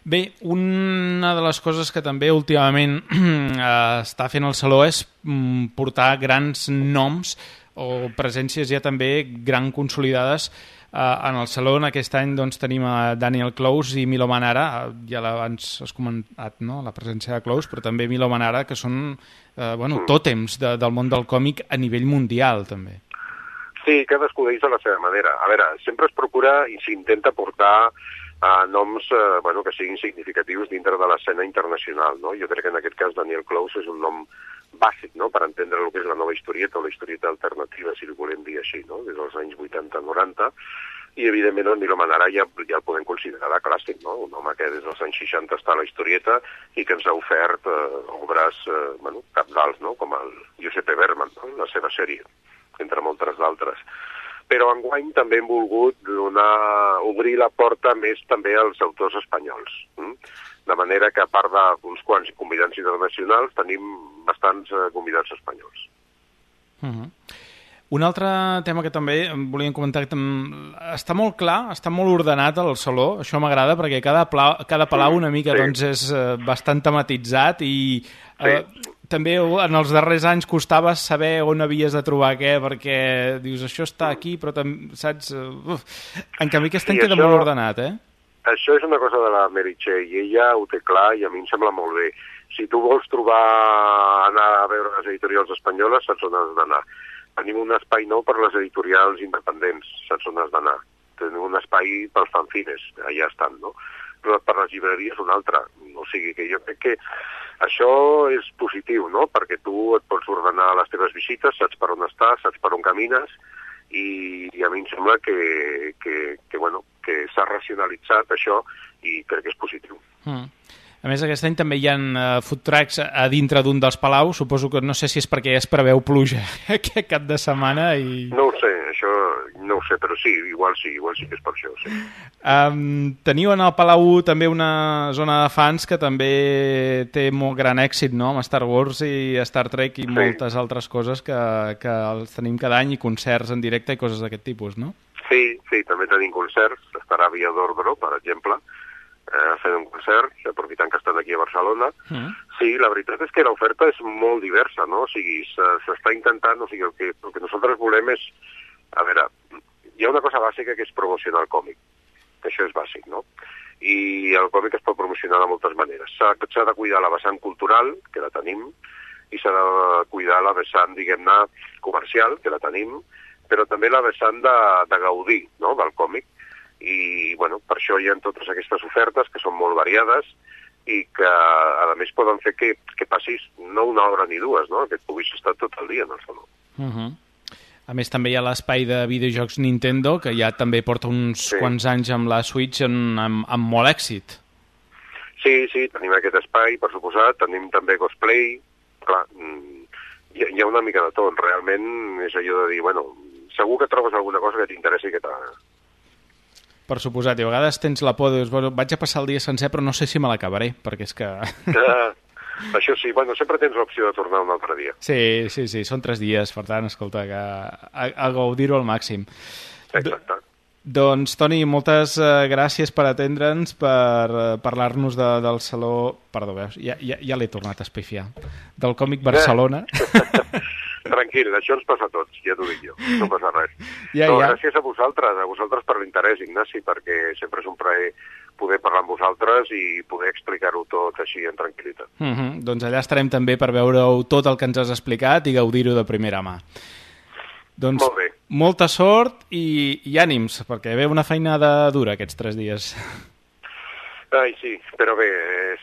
Bé, una de les coses que també últimament està fent el Saló és portar grans noms o presències ja també gran consolidades eh, en el Saló. Aquest any doncs, tenim a Daniel Close i Milo Manara, ja abans has comentat, no?, la presència de Close, però també Milo Manara, que són eh, bueno, tòtems de, del món del còmic a nivell mundial, també. Sí, cadascú d'ells a la seva manera. A veure, sempre es procura i s'intenta portar a noms eh, bueno, que siguin significatius dintre de l'escena internacional, no? Jo crec que en aquest cas Daniel Clowes és un nom bàsic, no?, per entendre el que és la nova historieta o la historieta alternativa, si li volem dir així, no?, des dels anys vuitanta noranta, i evidentment el Milo Manara ja, ja el podem considerar clàssic, no?, un home que des dels anys seixanta està a la historieta i que ens ha ofert eh, obres eh, bueno, capdals, no?, com el Giuseppe Berman, no?, la seva sèrie, entre moltes d'altres. Però enguany també hem volgut donar, obrir la porta més també als autors espanyols. Hm? De manera que a part d'uns quants convidats internacionals tenim bastants eh, convidats espanyols. Uh-huh. Un altre tema que també volíem comentar, que està molt clar, està molt ordenat al saló, això m'agrada perquè cada, pla, cada palau una mica sí. doncs és eh, bastant tematitzat i eh, sí. també en els darrers anys costava saber on havies de trobar què, perquè dius, això està aquí, però també, saps? Uf. En canvi aquest any sí, queda això, molt ordenat, eh? Això és una cosa de la Meritxell, i ella ho té clar i a mi em sembla molt bé. Si tu vols trobar, anar a veure les editorials espanyoles, saps on has d'anar. Tenim un espai nou per les editorials independents, saps on has d'anar. Tenim un espai pels fanzines, allà estan, no? Però per les llibreries un altre. O sigui que jo crec que això és positiu, no?, perquè tu et pots ordenar les teves visites, saps per on estàs, saps per on camines, i, i a mi em sembla que, que, que, bueno, que s'ha racionalitzat això i crec que és positiu. Mm. A més, aquest any també hi ha uh, food trucks a dintre d'un dels palaus. Suposo que no sé si és perquè ja es preveu pluja aquest cap de setmana i... No ho sé, això no ho sé, però sí, igual sí, igual sí que és per això, sí. Um, teniu en el Palau també una zona de fans que també té molt gran èxit, no?, amb Star Wars i Star Trek i sí. moltes altres coses que, que els tenim cada any i concerts en directe i coses d'aquest tipus, no? Sí, sí, també tenim concerts. Estarà Via d'Ordre, per exemple, eh, fent un concert, aprofitant que estan aquí a Barcelona. Mm. Sí, la veritat és que l'oferta és molt diversa, no? O sigui, s'està intentant, o sigui, el que, el que nosaltres volem és, a veure, hi ha una cosa bàsica que és promocionar el còmic, que això és bàsic, no? I el còmic es pot promocionar de moltes maneres. S'ha de cuidar la vessant cultural, que la tenim, i s'ha de cuidar la vessant, diguem-ne, comercial, que la tenim, però també la vessant de, de gaudir, no?, del còmic. I, bueno, per això hi ha totes aquestes ofertes que són molt variades i que, a més, poden fer que, que passis no una hora ni dues, no?, que et puguis estar tot el dia en el saló. Uh-huh. A més, també hi ha l'espai de videojocs Nintendo, que ja també porta uns sí. quants anys amb la Switch en, amb, amb molt èxit. Sí, sí, tenim aquest espai, per suposat, tenim també cosplay, clar, hi ha, hi ha una mica de tot, realment és allò de dir, bueno, segur que trobes alguna cosa que t'interessi i que t'agrada. Per suposat, i a vegades tens la por, dius, bueno, vaig a passar el dia sencer però no sé si me l'acabaré, perquè és que... Ah, això sí, bueno, sempre tens l'opció de tornar un altre dia. Sí, sí, sí, són tres dies, per tant, escolta, que a, a gaudir-ho al màxim. Exacte. Do, doncs, Toni, moltes uh, gràcies per atendre'ns, per uh, parlar-nos de, del Saló... Perdó, veus, ja, ja, ja l'he tornat a espifiar. Del Còmic Barcelona. Tranquil, això ens passa a tots, ja t'ho dic jo, no passa res. Ja, no, ja. Gràcies a vosaltres, a vosaltres per l'interès, Ignasi, perquè sempre és un plaer poder parlar amb vosaltres i poder explicar-ho tot així en tranquil·litat. Uh -huh. Doncs allà estarem també per veure-ho tot el que ens has explicat i gaudir-ho de primera mà. Doncs Molt bé. Molta sort i, i ànims, perquè ve una feinada dura aquests tres dies. Ai, sí, però bé,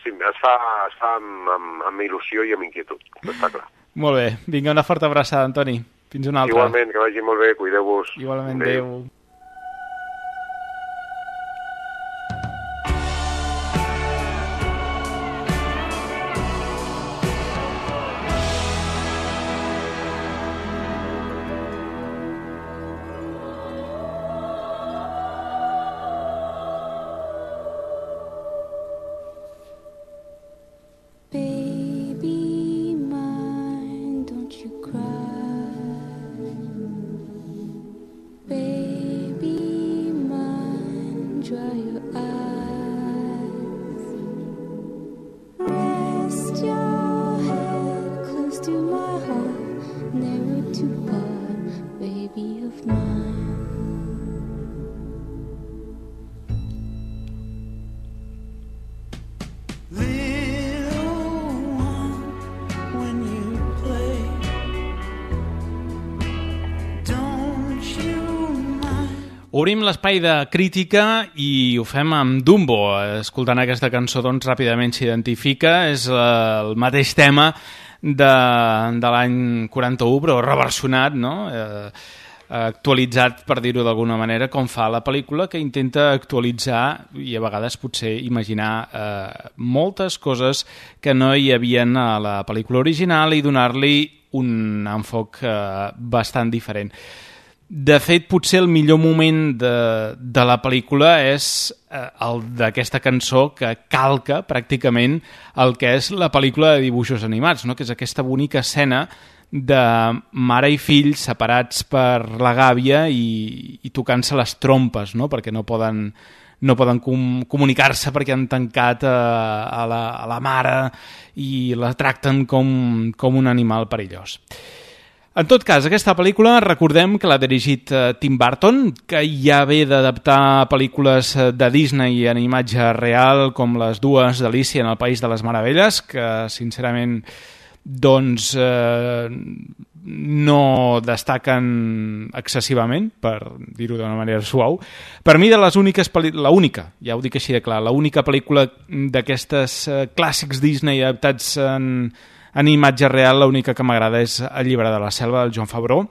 sí, es fa, es fa amb, amb, amb il·lusió i amb inquietud, està clar. Molt bé. Vinga, una forta abraçada, Antoni. Fins una altra. Igualment, que vagi molt bé, cuideu-vos. Igualment, adéu. adéu. Baby Obrim l'espai de crítica i ho fem amb Dumbo. Escoltant aquesta cançó, doncs, ràpidament s'identifica. És el mateix tema de, de l'any quaranta-u, però reversionat, no? Eh, actualitzat, per dir-ho d'alguna manera, com fa la pel·lícula, que intenta actualitzar i a vegades potser imaginar eh, moltes coses que no hi havien a la pel·lícula original i donar-li un enfoc eh, bastant diferent. De fet, potser el millor moment de, de la pel·lícula és eh, el d'aquesta cançó que calca pràcticament el que és la pel·lícula de dibuixos animats, no? Que és aquesta bonica escena de mare i fill separats per la gàbia i, i tocant-se les trompes, no? Perquè no poden, no poden com, comunicar-se perquè han tancat a, a, la, a la mare i la tracten com, com un animal perillós. En tot cas, aquesta pel·lícula, recordem que l'ha dirigit Tim Burton, que ja ve d'adaptar pel·lícules de Disney en imatge real, com les dues d'Alícia en el País de les Meravelles, que sincerament doncs eh, no destaquen excessivament, per dir-ho d'una manera suau. Per mi, de les úniques pel·lícules, l'única, ja ho dic així de clar, l'única pel·lícula d'aquestes eh, clàssics Disney adaptats en En imatge real, l'única que m'agrada és El llibre de la selva, del Jon Favreau.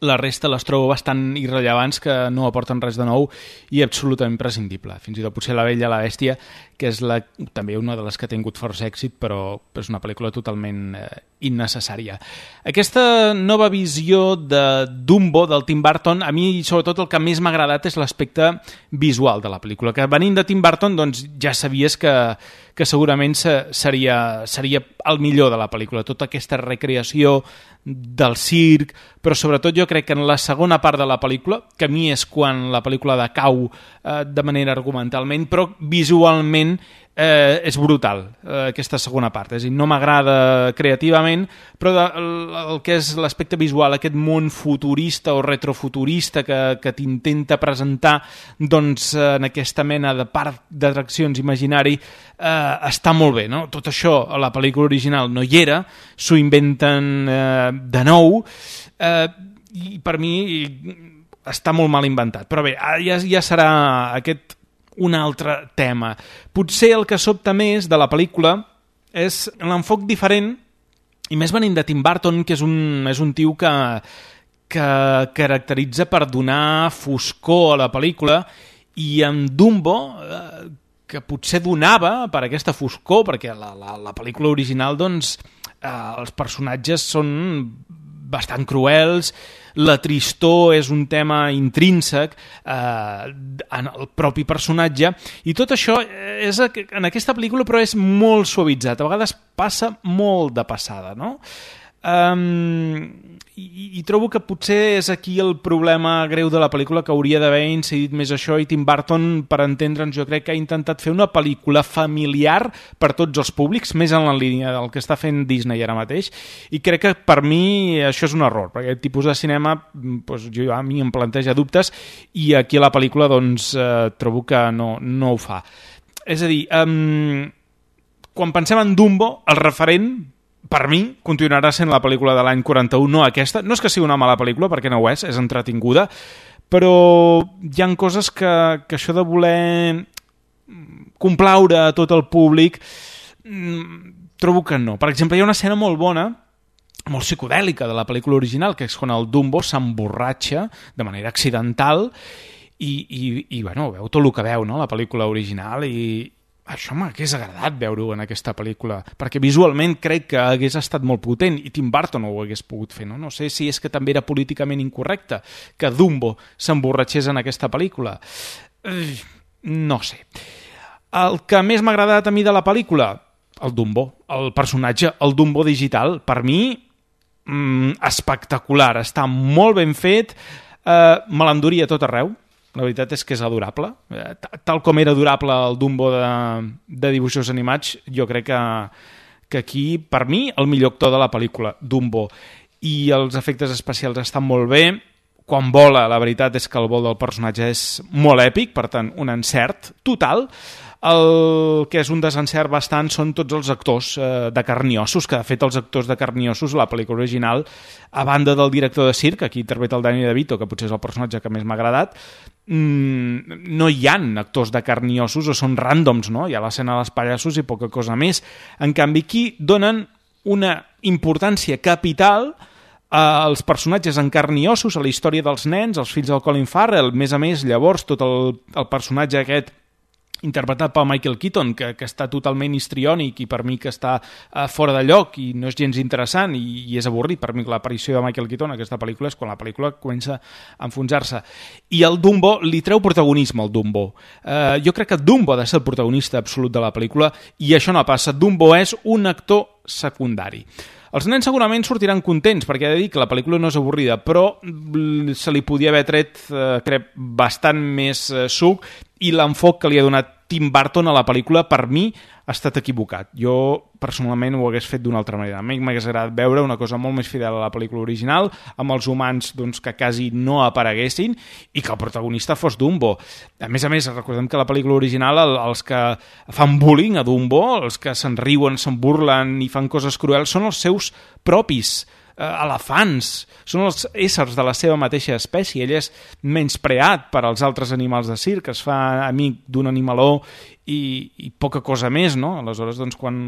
La resta les trobo bastant irrellevants, que no aporten res de nou i absolutament prescindible. Fins i tot potser La Bella i la Bèstia, que és la, també una de les que ha tingut força èxit, però és una pel·lícula totalment eh, innecessària. Aquesta nova visió de Dumbo, del Tim Burton, a mi sobretot el que més m'ha agradat és l'aspecte visual de la pel·lícula, que venint de Tim Burton doncs, ja sabies que, que segurament seria, seria el millor de la pel·lícula, tota aquesta recreació del circ, però sobretot jo crec que en la segona part de la pel·lícula, que a mi és quan la pel·lícula decau eh, de manera argumentalment, però visualment eh, és brutal, eh, aquesta segona part. És a dir, no m'agrada creativament, però de, el, el que és l'aspecte visual, aquest món futurista o retrofuturista que, que t'intenta presentar doncs, en aquesta mena de parc d'atraccions imaginari, eh, està molt bé, no? Tot això a la pel·lícula original no hi era, s'ho inventen eh, de nou, eh, i per mi està molt mal inventat. Però bé, ja, ja serà aquest un altre tema. Potser el que sobta més de la pel·lícula és l'enfoc diferent, i més venint de Tim Burton, que és un, és un tio que, que caracteritza per donar foscor a la pel·lícula, i amb Dumbo, eh, que potser donava per aquesta foscor, perquè la, la, la pel·lícula original, doncs, eh, els personatges són bastant cruels, la tristor és un tema intrínsec eh, en el propi personatge, i tot això és en aquesta pel·lícula, però és molt suavitzat, a vegades passa molt de passada, no? Um, i, i trobo que potser és aquí el problema greu de la pel·lícula, que hauria d'haver incidit més això, i Tim Burton, per entendre'ns, jo crec que ha intentat fer una pel·lícula familiar per tots els públics, més en la línia del que està fent Disney ara mateix, i crec que per mi això és un error, perquè aquest tipus de cinema doncs, jo, a mi em planteja dubtes, i aquí a la pel·lícula doncs, eh, trobo que no, no ho fa. És a dir, um, quan pensem en Dumbo, el referent per mi, continuarà sent la pel·lícula de l'any quaranta-u, no aquesta. No és que sigui una mala pel·lícula, perquè no ho és, és entretinguda, però hi ha coses que, que això de voler complaure a tot el públic, trobo que no. Per exemple, hi ha una escena molt bona, molt psicodèlica de la pel·lícula original, que és quan el Dumbo s'emborratxa de manera accidental i, i, i bueno, veu tot el que veu, no?, la pel·lícula original, i això m'hagués agradat veure-ho en aquesta pel·lícula, perquè visualment crec que hagués estat molt potent, i Tim Burton ho hagués pogut fer, no? No sé si és que també era políticament incorrecte que Dumbo s'emborratxés en aquesta pel·lícula. Eh, no sé. El que més m'ha agradat a mi de la pel·lícula, el Dumbo, el personatge, el Dumbo digital, per mi, mm, espectacular, està molt ben fet, eh, me l'enduria tot arreu. La veritat és que és adorable. Tal com era adorable el Dumbo de, de dibuixos animats, jo crec que, que aquí, per mi, el millor actor de la pel·lícula, Dumbo. I els efectes especials estan molt bé. Quan vola, la veritat és que el vol del personatge és molt èpic, per tant, un encert total. El que és un desencert bastant són tots els actors eh, de carn i ossos, que de fet els actors de carn i ossos, la pel·lícula original, a banda del director de circ, aquí interpreta el Danny DeVito, que potser és el personatge que més m'ha agradat, mmm, no hi ha actors de carn i ossos o són ràndoms, no? Hi ha l'escena dels pallassos i poca cosa més. En canvi, aquí donen una importància capital als personatges en carn i ossos, a la història dels nens, els fills del Colin Farrell. A més a més, llavors, tot el, el personatge aquest interpretat pel Michael Keaton, que, que està totalment histriònic i per mi que està uh, fora de lloc i no és gens interessant i, i és avorrit. Per mi l'aparició de Michael Keaton en aquesta pel·lícula és quan la pel·lícula comença a enfonsar-se. I el Dumbo li treu protagonisme al Dumbo. Uh, jo crec que Dumbo ha de ser el protagonista absolut de la pel·lícula i això no passa. Dumbo és un actor secundari. Els nens segurament sortiran contents, perquè he de dir que la pel·lícula no és avorrida, però se li podia haver tret, eh, crec, bastant més eh, suc, i l'enfoc que li ha donat Tim Burton a la pel·lícula, per mi, ha estat equivocat. Jo, personalment, ho hagués fet d'una altra manera. A mi m'hagués agradat veure una cosa molt més fidel a la pel·lícula original, amb els humans doncs, que quasi no apareguessin, i que el protagonista fos Dumbo. A més a més, recordem que la pel·lícula original, el, els que fan bullying a Dumbo, els que se'n riuen, se'n burlen i fan coses cruels, són els seus propis eh, elefants, són els éssers de la seva mateixa espècie. Ell és menyspreat per als altres animals de circ, es fa amic d'un animaló i, i poca cosa més, no? Aleshores, doncs, quan...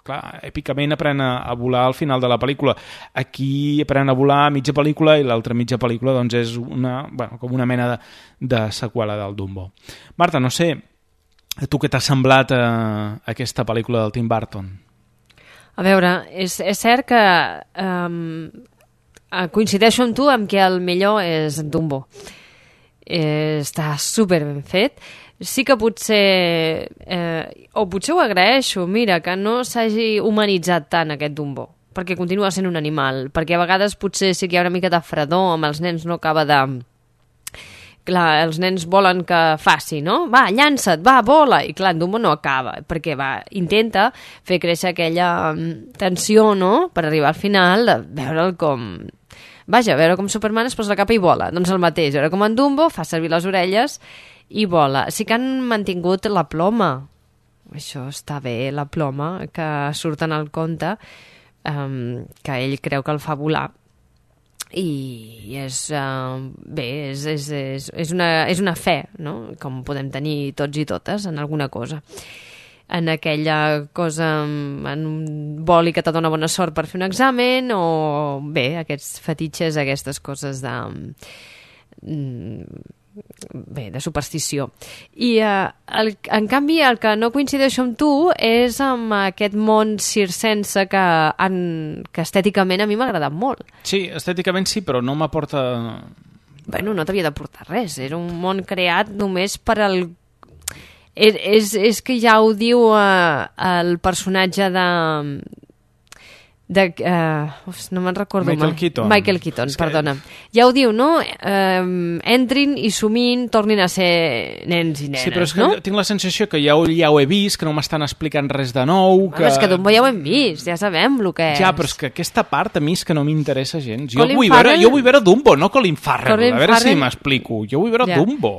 Clar, èpicament aprèn a, a volar al final de la pel·lícula. Aquí aprèn a volar a mitja pel·lícula i l'altra mitja pel·lícula doncs, és una, bueno, com una mena de, de seqüela del Dumbo. Marta, no sé, a tu què t'ha semblat eh, aquesta pel·lícula del Tim Burton? A veure, és, és cert que um, coincideixo amb tu amb que el millor és Dumbo. Eh, està super ben fet. Sí que potser, eh, o potser ho agraeixo, mira, que no s'hagi humanitzat tant aquest Dumbo, perquè continua sent un animal, perquè a vegades potser sí que hi ha una mica de fredor, amb els nens no acaba de... Clar, els nens volen que faci, no? Va, llança't, va, vola! I clar, en Dumbo no acaba, perquè va, intenta fer créixer aquella tensió, no?, per arribar al final, de veure'l com... Vaja, a veure com Superman es posa la capa i vola. Doncs el mateix, a veure com en Dumbo fa servir les orelles i vola. Sí que han mantingut la ploma. Això està bé, la ploma, que surt en el conte, um, que ell creu que el fa volar. I és, uh, bé, és, és, és, és, una, és una fe, no?, com podem tenir tots i totes en alguna cosa. En aquella cosa, en un boli que te dona bona sort per fer un examen, o bé, aquests fetitxes, aquestes coses de... bé, de superstició. I eh, el, en canvi el que no coincideixo amb tu és amb aquest món circense que, en, que estèticament a mi m'ha agradat molt. Sí, estèticament sí, però no m'aporta... Bueno, no t'havia d'aportar res, era un món creat només per al... És, és, és que ja ho diu eh, el personatge de... de uh, uf, no me'n recordo Michael mai. Keaton. Michael Keaton, que... perdona. Ja ho diu, no? Um, entrin i somin, tornin a ser nens i nenes, sí, però és que no? tinc la sensació que ja ho, ja ho he vist, que no m'estan explicant res de nou... Que... Bueno, és que Dumbo ja ho hem vist, ja sabem el que és. Ja, però és que aquesta part a mi és que no m'interessa gens. Jo Colin vull, Farrell... veure, jo vull veure Dumbo, no Colin Farrell. Colin a veure Farrell... si m'explico. Jo vull veure ja. Dumbo.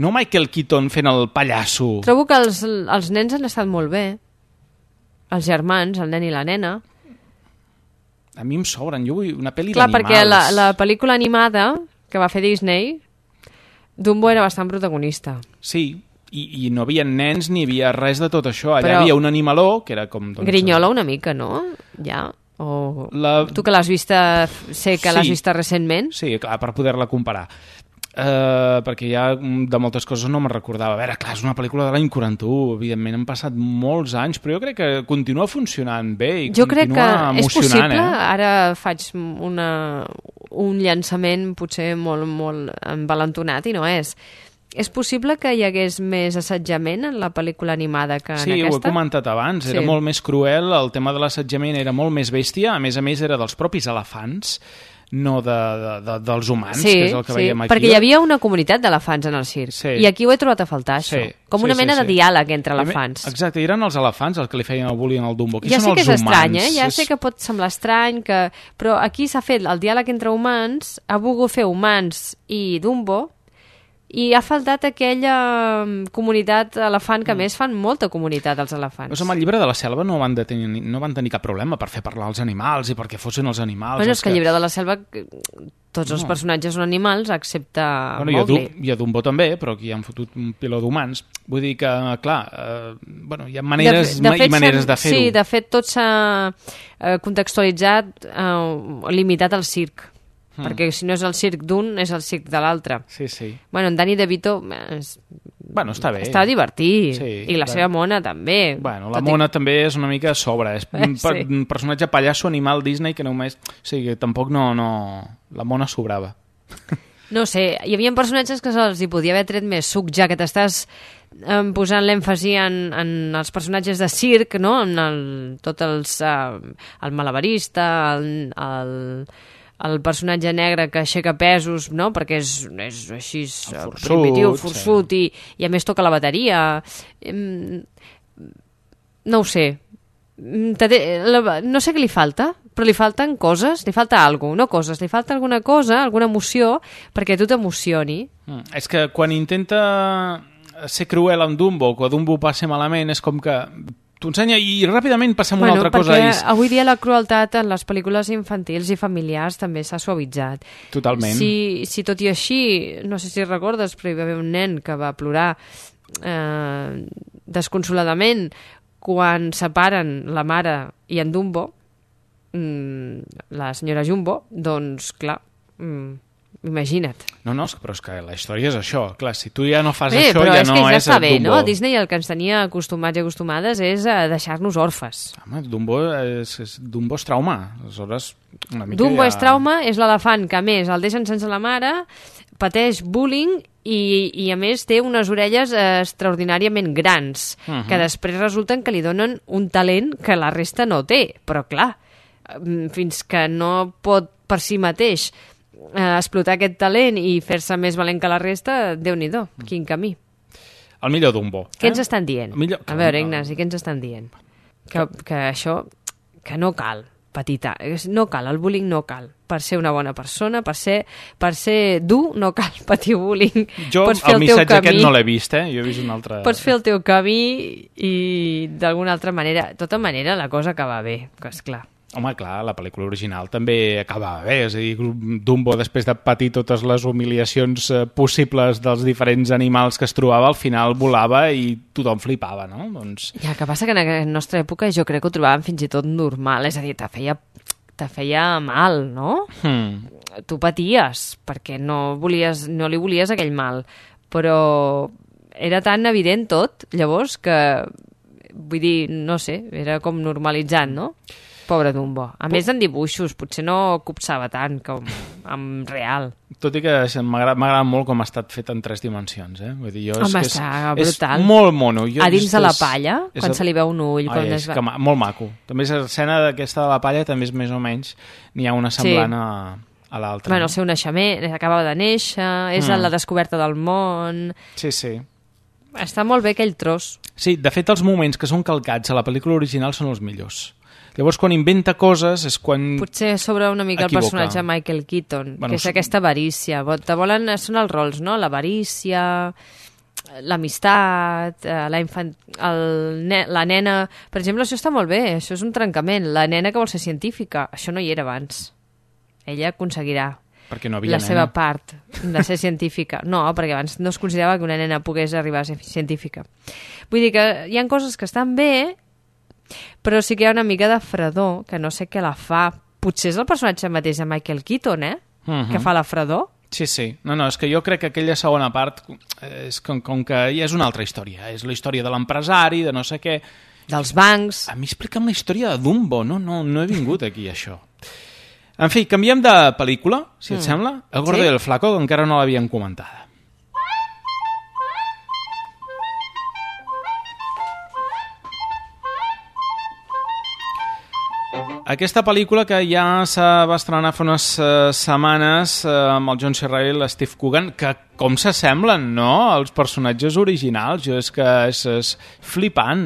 No Michael Keaton fent el pallasso. Trobo que els, els nens han estat molt bé. Els germans, el nen i la nena. A mi em sobren, jo vull una pel·li Clar, d'animals. perquè la, la pel·lícula animada que va fer Disney, Dumbo era bastant protagonista. Sí, i, i no havia nens ni havia res de tot això. Allà Però... havia un animaló, que era com... Doncs, Grinyola una mica, no? Ja... O... La... Tu que l'has vista, sé que Sí. l'has vista recentment. Sí, clar, per poder-la comparar. Uh, perquè ja de moltes coses no me'n recordava. A veure, clar, és una pel·lícula de l'any quaranta-u, evidentment han passat molts anys, però jo crec que continua funcionant bé i Jo crec que continua és emocionant. possible, Eh? ara faig una, un llançament potser molt, molt envalentonat i no és. És possible que hi hagués més assetjament en la pel·lícula animada que en Sí, aquesta? ho he comentat abans, era Sí. molt més cruel, el tema de l'assetjament era molt més bèstia, a més a més era dels propis elefants, no de, de, de, dels humans, Sí, que és el que sí, veiem aquí. perquè hi havia una comunitat d'elefants en el circ, Sí. i aquí ho he trobat a faltar, això. Sí, Com sí, una sí, mena sí. de diàleg entre Primer- elefants. Exacte, eren els elefants els que li feien el bullying al Dumbo. Aquí Ja són sé que els és estrany, humans. eh? Ja És- sé que pot semblar estrany, que... però aquí s'ha fet el diàleg entre humans, ha volgut fer humans i Dumbo, i ha faltat aquella comunitat elefant, que a més fan molta comunitat els elefants. Doncs amb el llibre de la selva no van, de tenir, no van tenir cap problema per fer parlar els animals i perquè fossin els animals. Bueno, és que el el llibre de la selva tots els no. personatges són animals, excepte bueno, Mowgli. I a Dumbo també, però aquí han fotut un piló d'humans. Vull dir que, clar, eh, bueno, hi ha maneres de, de fet, i maneres de fer-ho. Sí, de fet, tot s'ha eh, contextualitzat, eh, limitat al circ. Mm. Perquè si no és el circ d'un, és el circ de l'altre. Sí, sí. Bueno, en Danny DeVito és... bueno, està bé. Està divertit. Sí, I la clar. seva mona també. Bueno, la mona i... també és una mica a sobre. És un sí. un personatge pallasso animal Disney que només... O sigui, tampoc no... no... La mona sobrava. No sé, hi havia personatges que se'ls hi podia haver tret més suc, ja que t'estàs eh, posant l'èmfasi en, en els personatges de circ, no? En el, tot els... Eh, el malabarista, el... el el personatge negre que aixeca pesos, no? Perquè és, és així forçut, primitiu, forçut, sí. i, i a més toca la bateria. No ho sé. No sé què li falta, però li falten coses, li falta alguna cosa, no coses, li falta alguna cosa, alguna emoció, perquè tu t'emocioni. Mm, és que quan intenta ser cruel amb Dumbo, quan Dumbo passa malament, és com que t'ho ensenya i ràpidament passem a bueno, una altra cosa. Perquè I... avui dia la crueltat en les pel·lícules infantils i familiars també s'ha suavitzat. Totalment. Si, si tot i així, no sé si recordes, però hi va haver un nen que va plorar eh, desconsoladament quan separen la mare i en Dumbo, mmm, la senyora Jumbo, doncs clar... Mm, imagina't. No, no, però és que la història és això. Clar, si tu ja no fas bé, això, ja és no ja és ja bé, Dumbo. No? Disney el que ens tenia acostumats i acostumades és a deixar-nos orfes. Home, Dumbo és, és, Dumbo és trauma. Aleshores, una mica Dumbo ja... és trauma, és l'elefant que a més el deixen sense la mare, pateix bullying i, i a més té unes orelles eh, extraordinàriament grans, uh -huh. que després resulten que li donen un talent que la resta no té. Però clar, fins que no pot per si mateix eh, explotar aquest talent i fer-se més valent que la resta, Déu-n'hi-do, quin camí. El millor Dumbo. Què eh? ens estan dient? Millor... A veure, Ignasi, què ens estan dient? Que, que això, que no cal, petita, no cal, el bullying no cal. Per ser una bona persona, per ser, per ser dur, no cal patir bullying. Jo Pots fer el, el missatge camí, aquest no l'he vist, eh? Jo he vist un altre... Pots fer el teu camí i d'alguna altra manera, de tota manera la cosa acaba bé, que esclar. Home, clar, la pel·lícula original també acabava bé, és a dir, Dumbo, després de patir totes les humiliacions eh, possibles dels diferents animals que es trobava, al final volava i tothom flipava, no? Doncs... Ja, que passa que en la nostra època jo crec que ho trobàvem fins i tot normal, és a dir, te feia, te feia mal, no? Hmm. Tu paties, perquè no, volies, no li volies aquell mal, però era tan evident tot, llavors, que, vull dir, no sé, era com normalitzant, no? Pobre Dumbo. A més, en dibuixos, potser no copsava tant com en real. Tot i que m'agrada molt com ha estat fet en tres dimensions, eh? Vull dir, jo és Home, que està és, brutal. És molt mono. Jo a dins de la és, palla, és, quan és, se li veu un ull... Ai, és va... que, molt maco. També l'escena d'aquesta de la palla també és més o menys, n'hi ha una semblant sí. a, a l'altra. Bueno, no? El seu naixement, acabava de néixer, és mm. la descoberta del món... Sí, sí. Està molt bé aquell tros. Sí, de fet, els moments que són calcats a la pel·lícula original són els millors. Llavors, quan inventa coses és quan... Potser sobre una mica equivoca. El personatge de Michael Keaton, bueno, que és aquesta avarícia. Te volen... Són els rols, no? L'avarícia, l'amistat, la, infant... el... la nena... Per exemple, això està molt bé, això és un trencament. La nena que vol ser científica, això no hi era abans. Ella aconseguirà perquè no havia la nena. seva part de ser científica. No, perquè abans no es considerava que una nena pogués arribar a ser científica. Vull dir que hi ha coses que estan bé, però sí que hi ha una mica de fredor, que no sé què la fa. Potser és el personatge mateix de Michael Keaton, eh? Uh-huh. Que fa la fredor. Sí, sí. No, no, és que jo crec que aquella segona part és com, com que ja és una altra història. És la història de l'empresari, de no sé què... Dels bancs... A mi explica'm la història de Dumbo. No, no, no he vingut aquí, això. En fi, canviem de pel·lícula, si et mm. sembla. El Gordo sí? i el Flaco, que encara no l'havien comentada. Aquesta pel·lícula que ja se va estrenar fa unes uh, setmanes uh, amb el John C. Reilly i Steve Coogan, que com s'assemblen, no?, els personatges originals. Jo és que és, és flipant.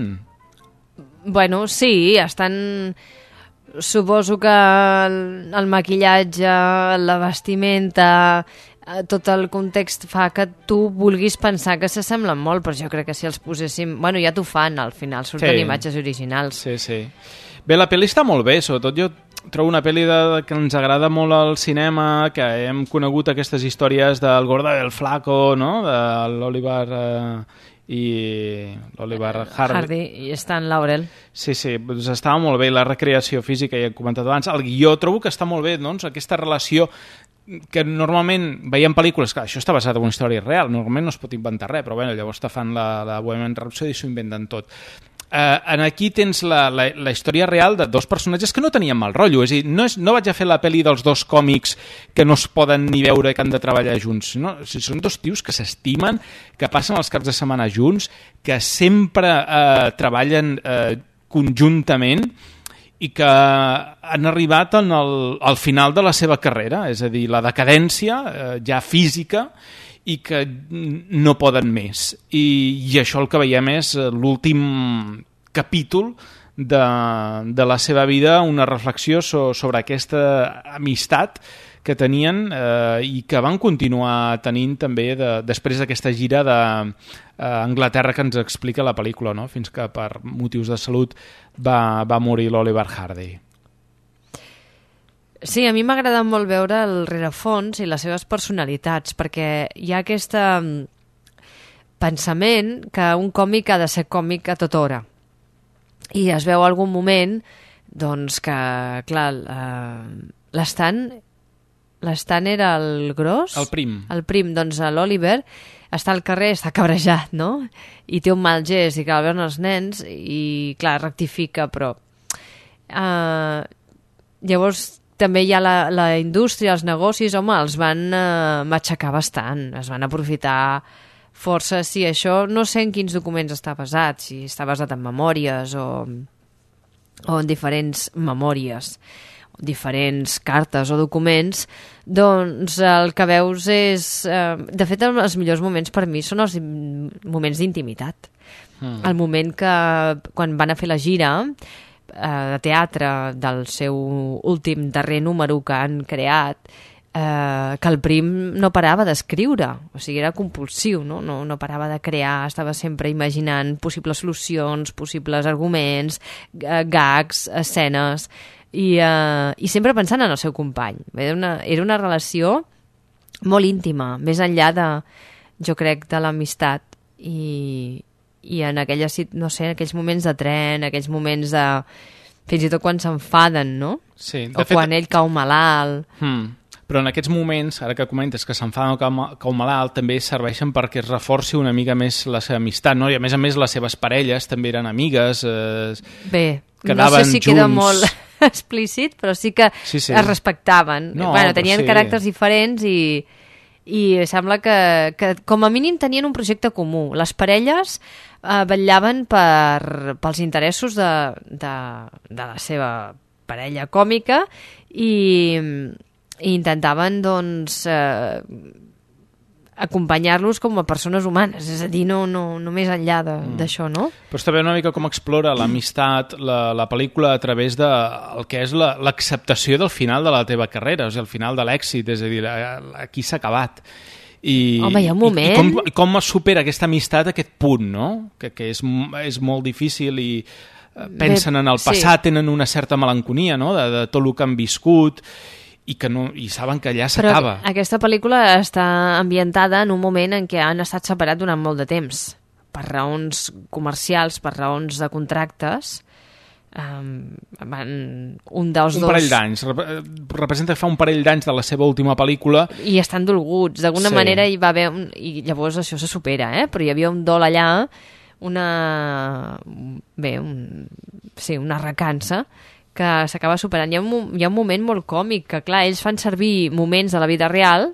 Bueno, sí, estan... Suposo que el, el maquillatge, la vestimenta, tot el context fa que tu vulguis pensar que s'assemblen molt, però jo crec que si els poséssim... Bueno, ja t'ho fan, al final surten Sí. imatges originals. Sí, sí. Bé, la pel·li està molt bé, sobretot jo trobo una pel·li de, que ens agrada molt al cinema, que hem conegut aquestes històries del Gordo del Flaco, no?, de l'Oliver eh, i l'Oliver Hardy. Hardy i Stan Laurel. Sí, sí, doncs estava molt bé la recreació física, ja he comentat abans. El guió trobo que està molt bé, doncs, aquesta relació que normalment veiem pel·lícules, que això està basat en una història real, normalment no es pot inventar res, però bueno, llavors te fan la, la Bohemian Rhapsody i s'ho inventen tot. Uh, en aquí tens la, la, la història real de dos personatges que no tenien mal rotllo, és a dir, no, és, no vaig a fer la pel·li dels dos còmics que no es poden ni veure, que han de treballar junts, no? O sigui, són dos tios que s'estimen, que passen els caps de setmana junts, que sempre uh, treballen uh, conjuntament i que han arribat en el, al final de la seva carrera, és a dir, la decadència eh, ja física, i que no poden més. I, i això el que veiem és l'últim capítol de, de la seva vida, una reflexió so, sobre aquesta amistat que tenien eh, i que van continuar tenint també de, després d'aquesta gira d'Anglaterra que ens explica la pel·lícula, no? Fins que per motius de salut va, va morir l'Oliver Hardy. Sí, a mi m'ha agradat molt veure el rerefons i les seves personalitats, perquè hi ha aquest pensament que un còmic ha de ser còmic a tota hora. I es veu algun moment doncs, que, clar, l'Stan l'Stan era el gros? El prim. El prim, doncs l'Oliver està al carrer, està cabrejat, no? I té un mal gest i que el veuen els nens i, clar, rectifica, però... Uh, llavors... També hi ha la, la indústria, els negocis, home, els van eh, matxacar bastant, es van aprofitar força. Sí, això no sé en quins documents està basat, si està basat en memòries o, o en diferents memòries, diferents cartes o documents, doncs el que veus és... Eh, de fet, els millors moments per mi són els moments d'intimitat. Mm. El moment que, quan van a fer la gira... de teatre del seu últim darrer número que han creat, eh, que el prim no parava d'escriure, o sigui, era compulsiu, no? No, no parava de crear, estava sempre imaginant possibles solucions, possibles arguments, gags, escenes, i, eh, i sempre pensant en el seu company. Era una, era una relació molt íntima, més enllà de, jo crec, de l'amistat, i... i en aquelles, no sé, aquells moments de tren, aquells moments de... fins i tot quan s'enfaden, no? Sí, o fet... quan ell cau malalt. Hmm. Però en aquests moments, ara que comentes que s'enfaden o cau, cau malalt, també serveixen perquè es reforci una mica més la seva amistat, no? I a més a més les seves parelles també eren amigues, eh, Bé, quedaven no sé si junts. queda molt explícit, però sí que sí, sí. es respectaven. No, bueno, tenien sí. caràcters diferents i... i sembla que, que com a mínim tenien un projecte comú. Les parelles eh, vetllaven per, pels interessos de, de, de la seva parella còmica i, i intentaven doncs eh, acompanyar-los com a persones humanes, és a dir, no, no, no més enllà d'això, mm. no? Però està bé una mica com explora l'amistat, la, la pel·lícula a través de el que és l'acceptació del final de la teva carrera, o sigui, el final de l'èxit, és a dir, aquí s'ha acabat. I, Home, hi ha un moment... I, i com, com es supera aquesta amistat a aquest punt, no? Que, que és, és molt difícil i pensen bé, en el passat, sí. Tenen una certa melanconia, no?, de, de tot el que han viscut, i que no, i saben que allà s'acaba. Però aquesta pel·lícula està ambientada en un moment en què han estat separats durant molt de temps, per raons comercials, per raons de contractes. Um, van, un dels un dos... parell d'anys. Representa que fa un parell d'anys de la seva última pel·lícula. I estan dolguts. D'alguna sí. manera hi va haver... Un, i llavors això se supera, eh? Però hi havia un dol allà, una... Bé, un, sí, una recança que s'acaba superant. Hi ha, un, hi ha un moment molt còmic, que clar, ells fan servir moments de la vida real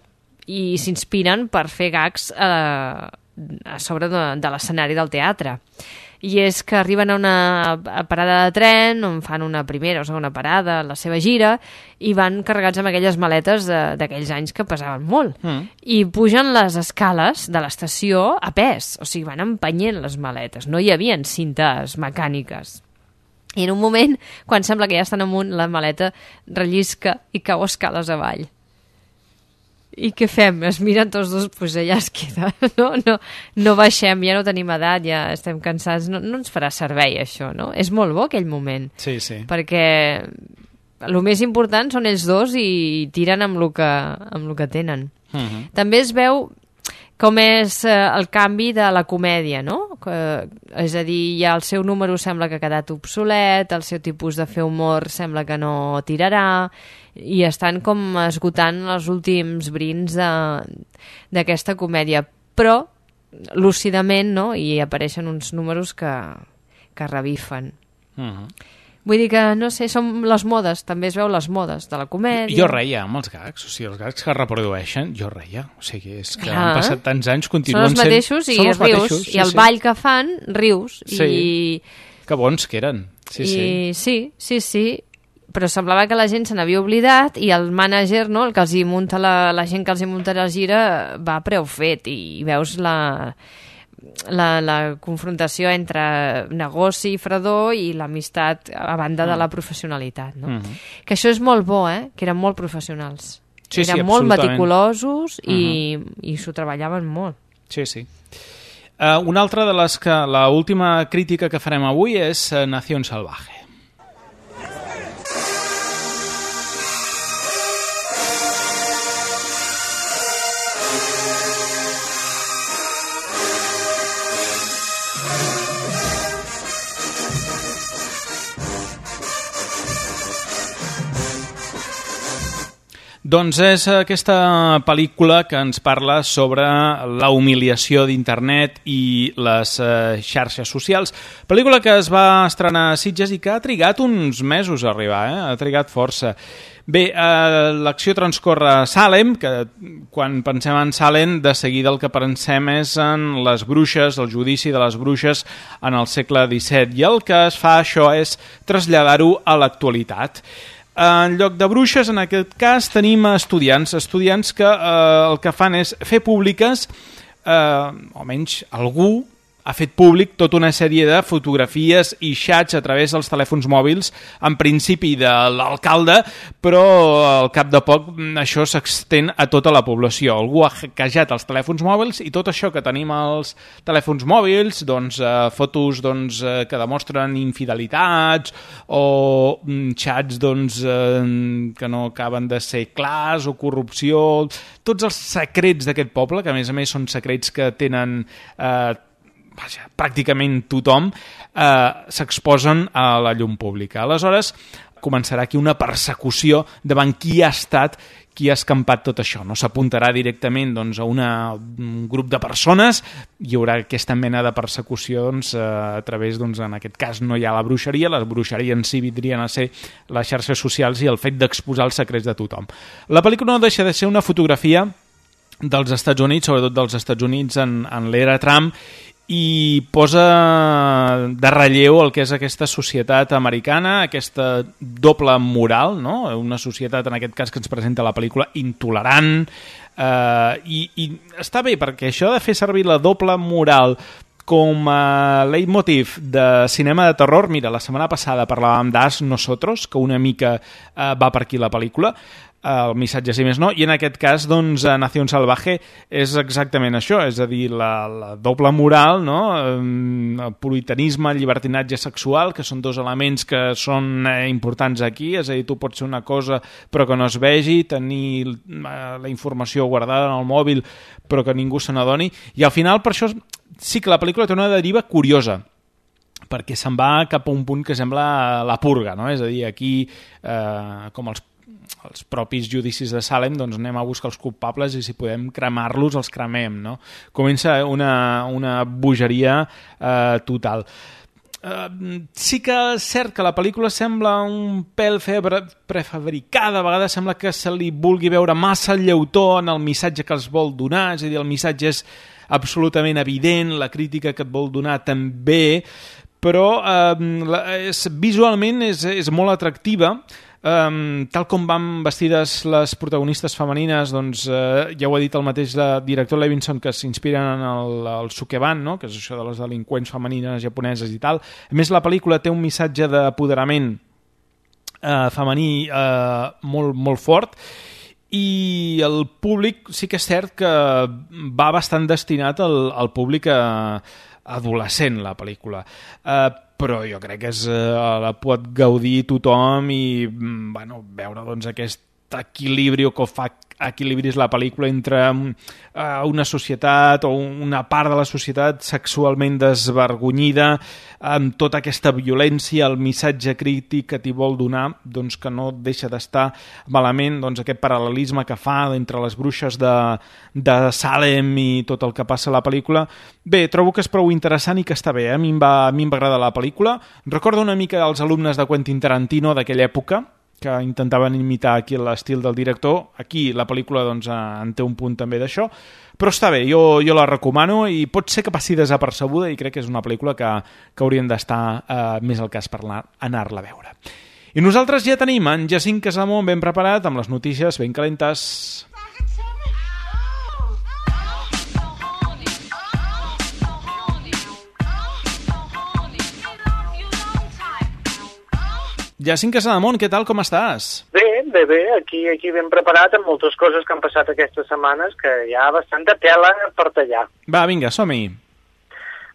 i s'inspiren per fer gags a, a sobre de, de l'escenari del teatre. I és que arriben a una parada de tren on fan una primera o segona parada, la seva gira, i van carregats amb aquelles maletes d'aquells anys que pesaven molt. Mm. I pugen les escales de l'estació a pes, o sigui, van empenyent les maletes. No hi havia cintes mecàniques. I en un moment, quan sembla que ja estan amunt, la maleta rellisca i cau escales avall. I què fem? Es miren tots dos, doncs allà es queda. No, no, no baixem, ja no tenim edat, ja estem cansats. No, no ens farà servei, això, no? És molt bo aquell moment. Sí, sí. Perquè el més important són ells dos i tiren amb el que, amb el que tenen. Uh-huh. També es veu com és eh, el canvi de la comèdia, no? Que, és a dir, ja el seu número sembla que ha quedat obsolet, el seu tipus de fer humor sembla que no tirarà, i estan com esgotant els últims brins d'aquesta comèdia. Però, lúcidament, no? I apareixen uns números que, que revifen. Uh-huh. Vull dir que, no sé, són les modes, també es veu les modes de la comèdia. Jo reia amb els gags, o sigui, els gags que es reprodueixen, jo reia. O sigui, és que Clar. han passat tants anys, continuen sent... Són els mateixos sent... i rius, mateixos, sí, i el sí. ball que fan, rius. Sí, i... que bons que eren. Sí, I... sí. sí, sí, sí, però semblava que la gent se n'havia oblidat i el mànager, no, el que els hi munta la, la gent que els hi munta la gira, va a preu fet i veus la... La, la confrontació entre negoci i fredor i l'amistat a banda de la professionalitat, no? Uh-huh. Que això és molt bo, eh? Que eren molt professionals. Sí, eren sí, molt absolutament. meticulosos i, uh-huh. i s'ho treballaven molt. Sí, sí. Uh, una altra de les que... La última crítica que farem avui és uh, Nación Salvaje. Doncs és aquesta pel·lícula que ens parla sobre la humiliació d'internet i les eh, xarxes socials. Pel·lícula que es va estrenar a Sitges i que ha trigat uns mesos a arribar, eh? Ha trigat força. Bé, eh, l'acció transcorre a Salem, que quan pensem en Salem, de seguida el que pensem és en les bruixes, el judici de les bruixes en el segle disset. I el que es fa, això, és traslladar-ho a l'actualitat. En lloc de bruixes, en aquest cas, tenim estudiants, estudiants que eh, el que fan és fer públiques, eh, o menys algú ha fet públic tota una sèrie de fotografies i xats a través dels telèfons mòbils, en principi de l'alcalde, però al cap de poc això s'extén a tota la població. Algú ha hackejat els telèfons mòbils i tot això que tenim als telèfons mòbils, doncs, eh, fotos doncs, eh, que demostren infidelitats o mm, xats doncs, eh, que no acaben de ser clars o corrupció, tots els secrets d'aquest poble, que a més a més són secrets que tenen... Eh, Vaja, pràcticament tothom, eh, s'exposen a la llum pública. Aleshores, començarà aquí una persecució davant qui ha estat, qui ha escampat tot això. No s'apuntarà directament doncs, a una, un grup de persones, hi haurà aquesta mena de persecució doncs, a través, doncs, en aquest cas no hi ha la bruixeria, la bruixeria en si vindrien a ser les xarxes socials i el fet d'exposar els secrets de tothom. La pel·lícula no deixa de ser una fotografia dels Estats Units, sobretot dels Estats Units en, en l'era Trump, i posa de relleu el que és aquesta societat americana, aquesta doble moral, no? Una societat, en aquest cas que ens presenta la pel·lícula, intolerant, eh, i, i està bé, perquè això de fer servir la doble moral com a leitmotiv de cinema de terror, mira, la setmana passada parlàvem d'As Nosotros, que una mica eh, va per aquí la pel·lícula, el missatge, si més no, i en aquest cas, doncs, a Nación Salvaje és exactament això, és a dir, la, la doble moral, no? El puritanisme, el llibertinatge sexual, que són dos elements que són eh, importants aquí, és a dir, tu pots ser una cosa però que no es vegi, tenir eh, la informació guardada en el mòbil però que ningú se n'adoni, i al final, per això, sí que la pel·lícula té una deriva curiosa, perquè se'n va cap a un punt que sembla la purga, no? És a dir, aquí, eh, com els els propis judicis de Salem, doncs anem a buscar els culpables i si podem cremar-los, els cremem, no? Comença una, una bogeria eh, total. Eh, sí que és cert que la pel·lícula sembla un pèl febre prefabricada, a vegades sembla que se li vulgui veure massa lleutó en el missatge que els vol donar, és a dir, el missatge és absolutament evident, la crítica que et vol donar també, però eh, és, visualment és, és molt atractiva. Um, tal com van vestides les protagonistes femenines, doncs uh, ja ho ha dit el mateix director Levinson, que s'inspiren en el, el Sukeban, no? Que és això de les delinqüents femenines japoneses i tal. A més, la pel·lícula té un missatge d'apoderament uh, femení uh, molt, molt fort, i el públic sí que és cert que va bastant destinat al, al públic a, adolescent, la pel·lícula. Uh, però jo crec que és, uh, la pot gaudir tothom i bueno, veure doncs, aquest equilibri o que fa equilibris la pel·lícula entre uh, una societat o una part de la societat sexualment desvergonyida, amb tota aquesta violència, el missatge crític que t'hi vol donar, doncs que no deixa d'estar malament, doncs aquest paral·lelisme que fa entre les bruixes de, de Salem i tot el que passa a la pel·lícula. Bé, trobo que és prou interessant i que està bé, eh? a mi em va, a mi em va agradar la pel·lícula. Recordo una mica els alumnes de Quentin Tarantino d'aquella època, que intentaven imitar aquí l'estil del director. Aquí la pel·lícula doncs, en té un punt també d'això, però està bé, jo, jo la recomano i pot ser que passi desapercebuda i crec que és una pel·lícula que, que haurien d'estar eh, més al cas per anar-la a veure. I nosaltres ja tenim en Jacint Casamont ben preparat amb les notícies ben calentes. Jacint Casamont, què tal, com estàs? Bé, bé, bé, aquí, aquí ben preparat amb moltes coses que han passat aquestes setmanes que hi ha bastanta tela per tallar. Va, vinga, som-hi.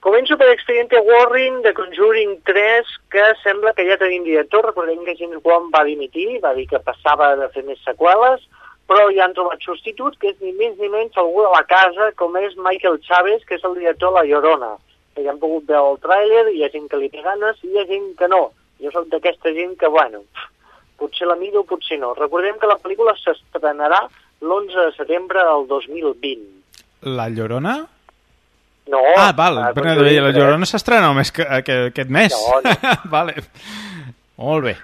Començo per Expediente Warren de Conjuring tres, que sembla que ja tenim director. Recordem que James Wan va dimitir, va dir que passava de fer més seqüeles, però ja han trobat substitut, que és ni més ni menys algú de la casa, com és Michael Chaves, que és el director de La Llorona. Que ja han pogut veure el tràiler, hi ha gent que li té ganes i hi ha gent que no. Jo soc d'aquesta gent que, bueno, potser la miro, potser no. Recordem que la pel·lícula s'estrenarà l'onze de setembre del dos mil vint. La Llorona? No. Ah, val, la, però, la Llorona s'estrena només que, que, aquest mes. No, no. Vale. Molt bé.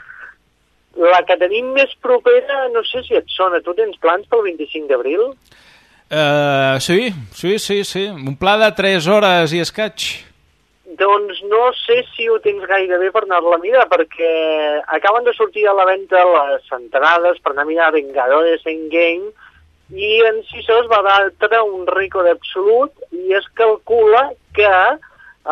La que tenim més propera, no sé si et sona. Tu tens plans pel vint-i-cinc d'abril? Uh, sí, sí, sí, sí. Un pla de tres hores i escaig. Doncs no sé si ho tens gaire bé per anar-la a mirar, perquè acaben de sortir a la venda les entrades per anar a mirar Vengadores Endgame i en sis hores va batre un rècord absolut i es calcula que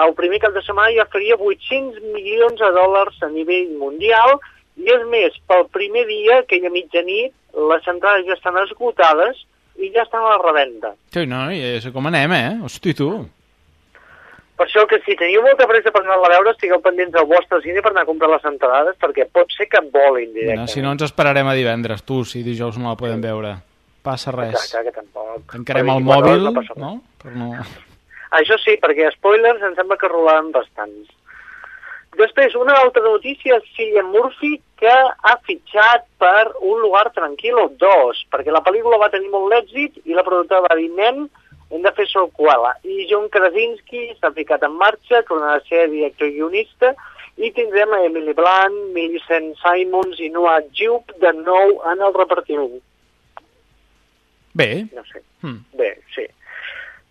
el primer cap de setmana ja faria vuit-cents milions de dòlars a nivell mundial i és més, pel primer dia, que hi ha mitjanit, les entrades ja estan esgotades i ja estan a la revenda. Sí, no, ja sé com anem, eh? Hosti, tu! Per això que si teniu molta pressa per anar-la a veure, estigueu pendents del vostre cine per anar a comprar les entrades, perquè pot ser que volin directament. No, si no ens esperarem a divendres, tu, si dijous no la podem veure. Passa res. Exacte, que tampoc. Tancarem el mòbil, no? no? Per no... Això sí, perquè spoilers em sembla que rolaran bastants. Després, una altra notícia és Cillian Murphy, que ha fitxat per Un lugar tranquilo dos, perquè la pel·lícula va tenir molt d'èxit i la productora va dir, nen, hem de fer seqüela. I John Krasinski s'ha ficat en marxa, tornarà a ser director i guionista, i tindrem a Emily Blunt, Millicent Simons i Noah Jupe de nou en el repartiment. Bé. No sé. Hmm. Bé, sí.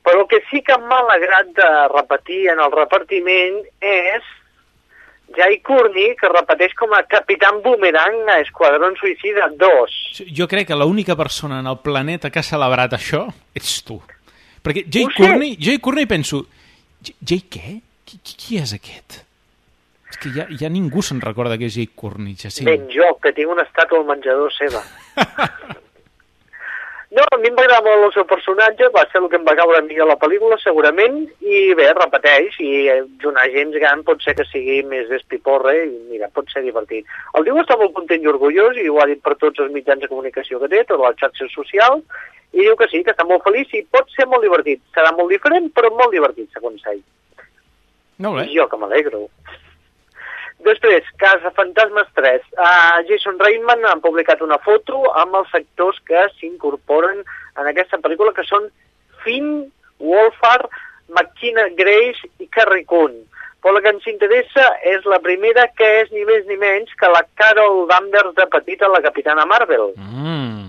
Però el que sí que m'ha alegrat de repetir en el repartiment és Jai Courtney, que repeteix com a Capitán Boomerang a Esquadrón Suïcida dos. Jo crec que l'única persona en el planeta que ha celebrat això ets tu. Perquè Jai Courtney, Jai Courtney penso, Jai què? Qui, qui, qui és aquest? És que ja, ja ningú se'n recorda que és Jai Courtney, Jacint. Ben jo, que tinc una estàtua al menjador seva. No, a mi em va agradar molt el seu personatge, va ser el que em va caure millor a la pel·lícula, segurament, i bé, repeteix, i donar gent gran pot ser que sigui més despiporre, i mira, pot ser divertit. El diu està molt content i orgullós, i ho ha dit per tots els mitjans de comunicació que té, totes les xarxes socials, i diu que sí, que està molt feliç i pot ser molt divertit. Serà molt diferent, però molt divertit, segons ell. No bé. I jo que m'alegro. Després, Cazafantasmes tres. Uh, Jason Reitman ha publicat una foto amb els actors que s'incorporen en aquesta pel·lícula, que són Finn Wolfhard, McKenna Grace i Carrie Coon. Però la que ens interessa és la primera, que és ni més ni menys que la Carol Danvers de petita, la Capitana Marvel. Mm.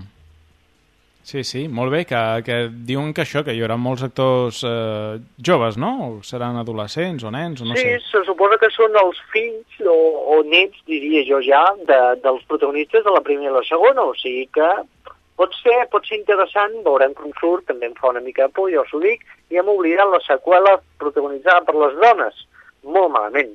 Sí, sí, molt bé, que, que diuen que això, que hi haurà molts actors eh, joves, no? O seran adolescents o nens, o no sí, sé. Sí, se suposa que són els fills o, o nets, diria jo ja, de, dels protagonistes de la primera i la segona, o sigui que pot ser, pot ser interessant, veurem com surt, també em fa una mica de por, jo us ho dic, i hem oblidat la seqüela protagonitzada per les dones, molt malament.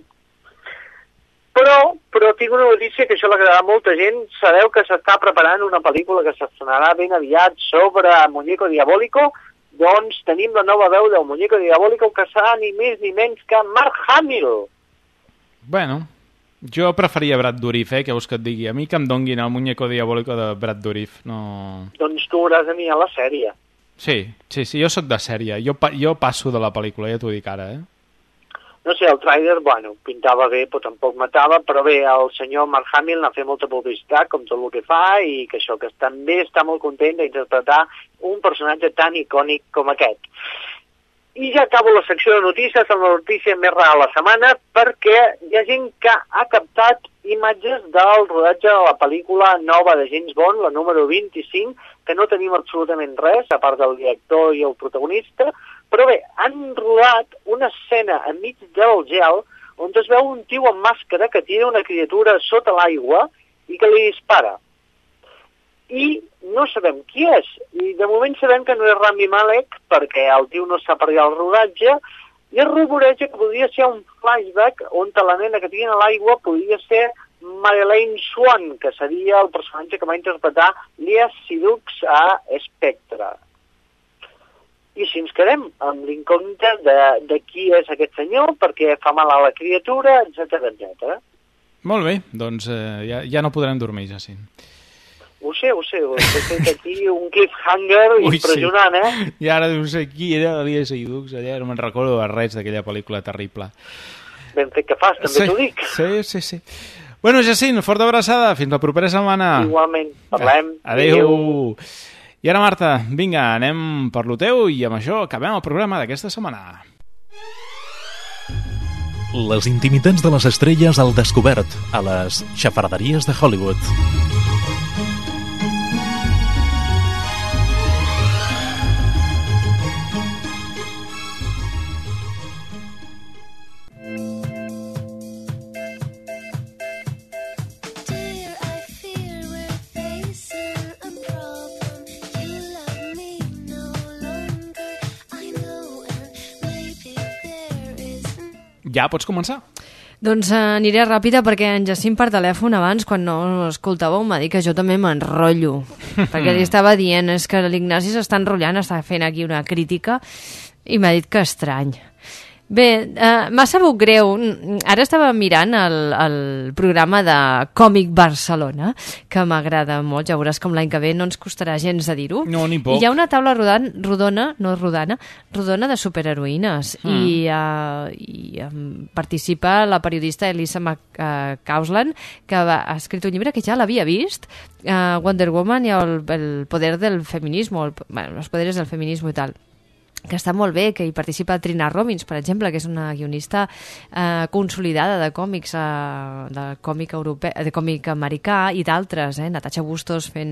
Però, però tinc una notícia que això l'agradarà a molta gent. Sabeu que s'està preparant una pel·lícula que s'estrenarà ben aviat sobre Muñeco Diabólico? Doncs tenim la nova veu del Muñeco Diabólico, que serà ni més ni menys que Mark Hamill. Bueno, jo preferia Brad Dourif, eh, que vols que et digui. A mi que em donguin el Muñeco Diabólico de Brad Dourif, no... Doncs tu hauràs de mirar la sèrie. Sí, sí, sí, jo sóc de sèrie. Jo, pa jo passo de la pel·lícula, ja t'ho dic ara, eh? No sé, el tràiler, bueno, pintava bé, però tampoc matava, però bé, el senyor Mark Hamill n'ha fet molta publicitat, com tot el que fa, i que això, que també està molt content d'interpretar un personatge tan icònic com aquest. I ja acabo la secció de notícies amb la notícia més rara de la setmana, perquè hi ha gent que ha captat imatges del rodatge de la pel·lícula nova de James Bond, la número vint-i-cinc, que no tenim absolutament res, a part del director i el protagonista, però bé, han rodat una escena enmig del gel on es veu un tio amb màscara que tira una criatura sota l'aigua i que li dispara. I no sabem qui és. I de moment sabem que no és Rami Malek, perquè el tio no sap arribar al rodatge, i es rumoreja que podria ser un flashback on la nena que tira a l'aigua podria ser Madeleine Swan, que seria el personatge que va interpretar Léa Seydoux a Spectre. I si ens quedem amb l'incògnita de, de qui és aquest senyor, perquè fa mal a la criatura, etcètera, etcètera. Molt bé, doncs eh, ja, ja no podrem dormir, ja sí. Ho sé, ho sé, ho he fet aquí un cliffhanger Ui, impressionant, sí. eh? I ara no sé qui era Léa Seydoux, allà no me'n recordo de res d'aquella pel·lícula terrible. Ben fet que fas, també sí, t'ho dic. Sí, sí, sí. Bueno, Jacint, forta abraçada, fins la propera setmana. Igualment, parlem. Adéu. Adéu. I ara, Marta, vinga, anem per lo teu i amb això acabem el programa d'aquesta setmana. Les intimitats de les estrelles al descobert a les xafarderies de Hollywood. Ja pots començar? Doncs uh, aniré ràpida perquè en Jacint per telèfon abans, quan no escoltàveu, m'ha dit que jo també m'enrotllo. Perquè li estava dient, és que l'Ignasi s'està enrotllant, està fent aquí una crítica, i m'ha dit que estrany. Bé, uh, m'ha sabut greu. Ara estava mirant el, el programa de Còmic Barcelona, que m'agrada molt. Ja veuràs com l'any que ve no ens costarà gens de dir-ho. No, ni poc. I hi ha una taula rodan, rodona, no rodana, rodona de superheroïnes. Mm. I, uh, i um, participa la periodista Elisa McCausland, que va, ha escrit un llibre que ja l'havia vist, uh, Wonder Woman i el, el poder del feminisme, el, bueno, los poderes del feminisme i tal, que està molt bé, que hi participa Trina Robbins, per exemple, que és una guionista eh, consolidada de còmics, eh, de còmic europeu, de còmic americà i d'altres, eh, Natasha Bustos fent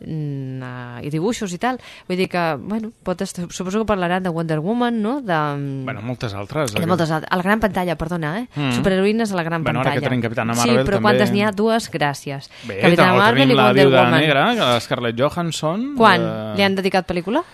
mm, uh, i dibuixos i tal. Vull dir que, bueno, pot estar, suposo que parlaran de Wonder Woman, no? De, bueno, moltes altres. De moltes altres. A la gran pantalla, perdona, eh? Mm. Superheroïnes a la gran bueno, pantalla. Ara que tenim Capitana Marvel, sí, però també... quantes n'hi ha? Dues, gràcies. Bé, Capitana Marvel i la Wonder Viuda Woman. Negra, que Scarlett Johansson... Quan? De... Li han dedicat pel·lícula?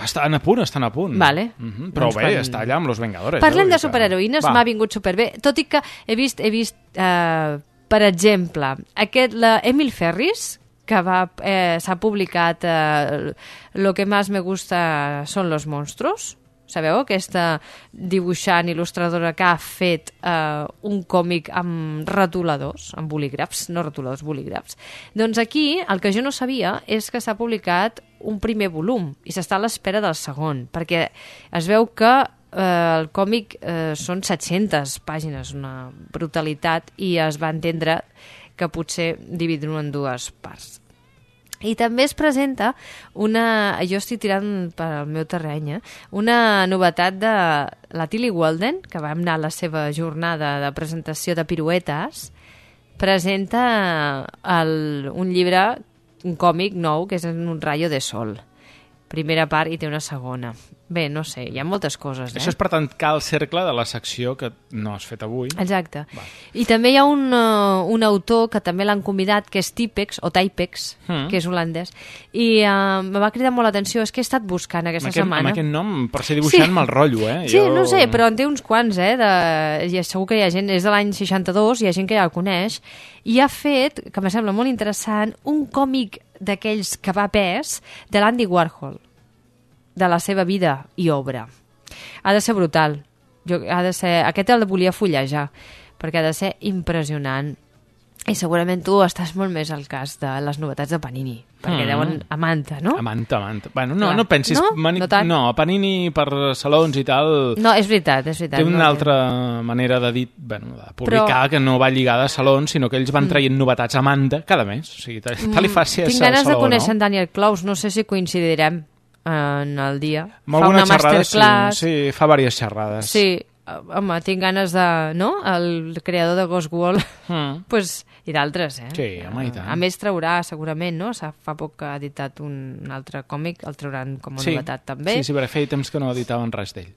Estan a punt, estan a punt. Vale. Mm-hmm. Però doncs bé, quan... està allà amb Los Vengadores. Parlem eh? de superheroïnes, m'ha vingut superbé. Tot i que he vist, he vist eh, per exemple, aquest, la Emil Ferris, que va, eh, s'ha publicat eh, Lo que más me gusta son los monstruos. Sabeu? Aquesta dibuixant, il·lustradora que ha fet eh, un còmic amb retoladors, amb bolígrafs, no retoladors, bolígrafs. Doncs aquí el que jo no sabia és que s'ha publicat un primer volum i s'està a l'espera del segon, perquè es veu que eh, el còmic eh, són set-centes pàgines, una brutalitat, i es va entendre que potser dividir-ho en dues parts. I també es presenta una, jo estic tirant pel meu terreny, eh? una novetat de la Tilly Walden, que va anar a la seva jornada de presentació de piruetes, presenta el, un llibre, un còmic nou, que és Un rayo de sol. Primera part i té una segona. Bé, no sé, hi ha moltes coses, eh? Això és per tancar el cercle de la secció que no has fet avui. Exacte. Va. I també hi ha un, uh, un autor que també l'han convidat, que és Tipex, o Typex, mm. que és holandès, i uh, me va cridar molt l'atenció, és que he estat buscant aquesta amb aquest, setmana. Amb aquest nom, per ser dibuixant, sí. me'l rotllo, eh? Sí, jo... no sé, però en té uns quants, eh? De... I segur que hi ha gent, és de l'any seixanta-dos, hi ha gent que ja el coneix, i ha fet, que me sembla molt interessant, un còmic d'aquells que va pes de l'Andy Warhol, de la seva vida i obra. Ha de ser brutal. Jo, ha de ser... Aquest el volia fullejar, perquè ha de ser impressionant. I segurament tu estàs molt més al cas de les novetats de Panini, perquè mm. deuen a Manta, no? A Manta, a Manta. Bueno, no, Clar. no pensis... No? Mani... No tant? No, Panini per salons i tal... No, és veritat, és veritat. Té una no altra té. manera de dir, bueno, de publicar, Però... que no va lligada a salons, sinó que ells van traient mm. novetats a Manta cada mes. O sigui, tal li faci Tinc ganes de conèixer en Daniel Claus, no sé si coincidirem en el dia. Amb fa una xerrada, masterclass. Sí, sí, fa diverses xerrades. Sí, home, tinc ganes de... No? El creador de Ghost Wall. Mm. pues, I d'altres, eh? Sí, home, i tant. A més traurà, segurament, no? Fa poc que ha editat un altre còmic, el trauran com a sí. novetat també. Sí, sí, perquè feia temps que no editaven res d'ell.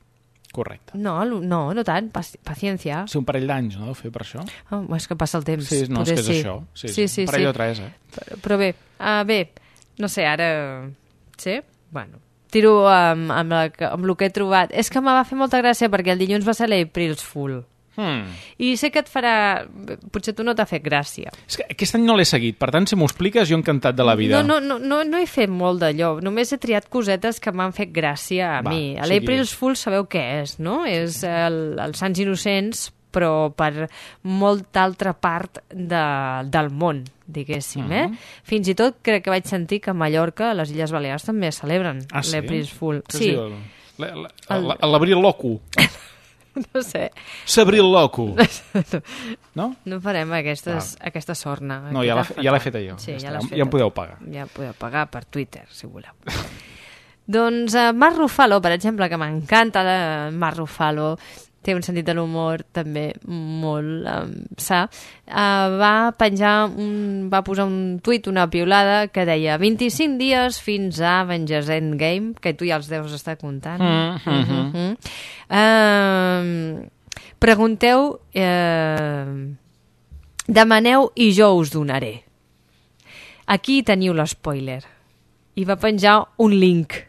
Correcte. No, no, no tant, paciència. Sí, un parell d'anys, no, deu fer per això? Oh, és que passa el temps. Sí, no, Poder és que és sí. això. Sí, sí, sí, un parell sí. o tres, eh? Però, però bé, uh, bé, no sé, ara... Sí? Bueno, tiro amb, amb, la, amb el que he trobat. És que me va fer molta gràcia perquè el dilluns va ser l'April's Fool. Hmm. I sé que et farà... Potser tu no t'ha fet gràcia. És que aquest any no l'he seguit, per tant, si m'ho expliques, jo encantat de la vida. No, no, no, no, no he fet molt d'allò, només he triat cosetes que m'han fet gràcia a Va, mi. L'April's Fool sabeu què és, no? És el, els Sants Innocents, però per molta altra part de, del món, diguéssim, uh-huh. eh? Fins i tot crec que vaig sentir que a Mallorca, a les Illes Balears, també celebren ah, sí? l'April's Fool. Què sí. El... L'abril loco. No sé. S'abril loco. No? No farem aquestes, ah. aquesta sorna. No, ja l'he feta jo. Sí, ja, ja, ja em podeu pagar. Ja podeu pagar per Twitter, si voleu. Doncs uh, Marc Ruffalo, per exemple, que m'encanta Marc Ruffalo, té un sentit de l'humor també molt um, sa, uh, va penjar un, va posar un tuit, una piulada que deia vint-i-cinc dies fins a Avengers Endgame, que tu ja els deus estar comptant. Mm, mm, mm, mm. Uh, pregunteu, uh, demaneu i jo us donaré. Aquí teniu l'espoiler. I va penjar un link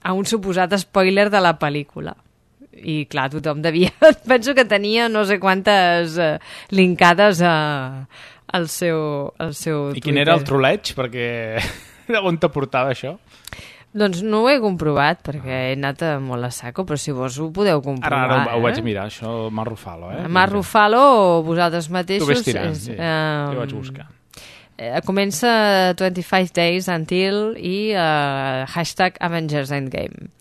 a un suposat spoiler de la pel·lícula. I clar, tothom devia... Penso que tenia no sé quantes uh, linkades a, al seu, al seu I quin era el troleig? Perquè on te portava això? Doncs no ho he comprovat, perquè he anat a molt a saco, però si vos ho podeu comprovar. Ara, ara ho, eh? ho vaig mirar, això, Marc Ruffalo, eh? Marc Ruffalo o vosaltres mateixos... Tu ves tirant, és, sí. Uh, jo vaig buscar. Eh, comença twenty-five days until i uh, hashtag Avengers Endgame.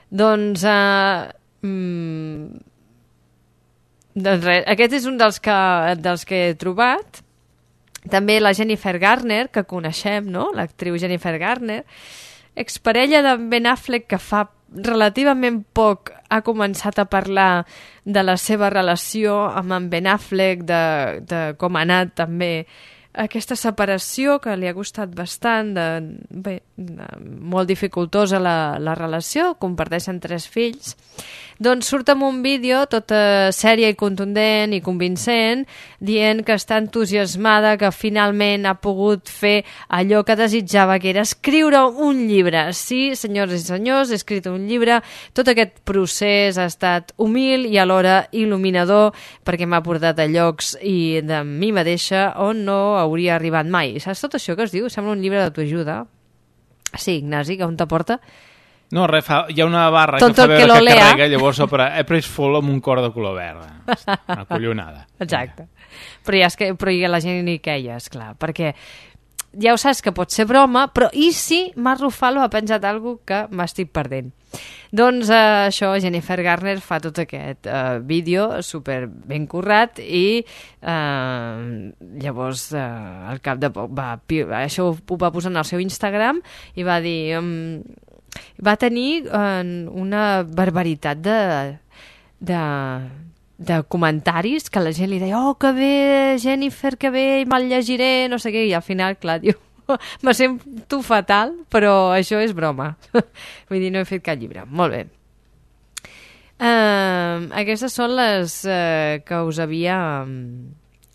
Doncs... Uh, Mm, doncs res, aquest és un dels que, dels que he trobat. També la Jennifer Garner, que coneixem, no? L'actriu Jennifer Garner, exparella de Ben Affleck, que fa relativament poc ha començat a parlar de la seva relació amb en Ben Affleck, de, de com ha anat també aquesta separació, que li ha costat bastant, de, bé, de, molt dificultosa la, la relació, comparteixen tres fills. Doncs surt amb un vídeo tot uh, sèria i contundent i convincent, dient que està entusiasmada, que finalment ha pogut fer allò que desitjava, que era escriure un llibre. Sí, senyors i senyors, he escrit un llibre. Tot aquest procés ha estat humil i alhora il·luminador, perquè m'ha portat a llocs i de mi mateixa on no hauria arribat mai. Saps tot això que es diu? Sembla un llibre d'autoajuda. Sí, Ignasi, que on te porta? No, res, fa, hi ha una barra Tonto que fa veure que, que lea. carrega, llavors sobre April's Fool amb un cor de color verd. Una collonada. Exacte. Però, ja és que, però ja la gent ni queia, esclar, perquè ja ho saps que pot ser broma, però i si Marc Ruffalo ha penjat alguna cosa que m'estic perdent? Doncs eh, això, Jennifer Garner fa tot aquest eh, vídeo super ben currat i eh, llavors eh, al cap de poc va, això ho va posar en el seu Instagram i va dir... Um, va tenir eh, una barbaritat de, de, de comentaris que la gent li deia oh, que bé, Jennifer, que bé, me'l llegiré, no sé què, i al final, clar, diu me sento fatal, però això és broma. Vull dir, no he fet cap llibre. Molt bé. Uh, aquestes són les uh, que us havia...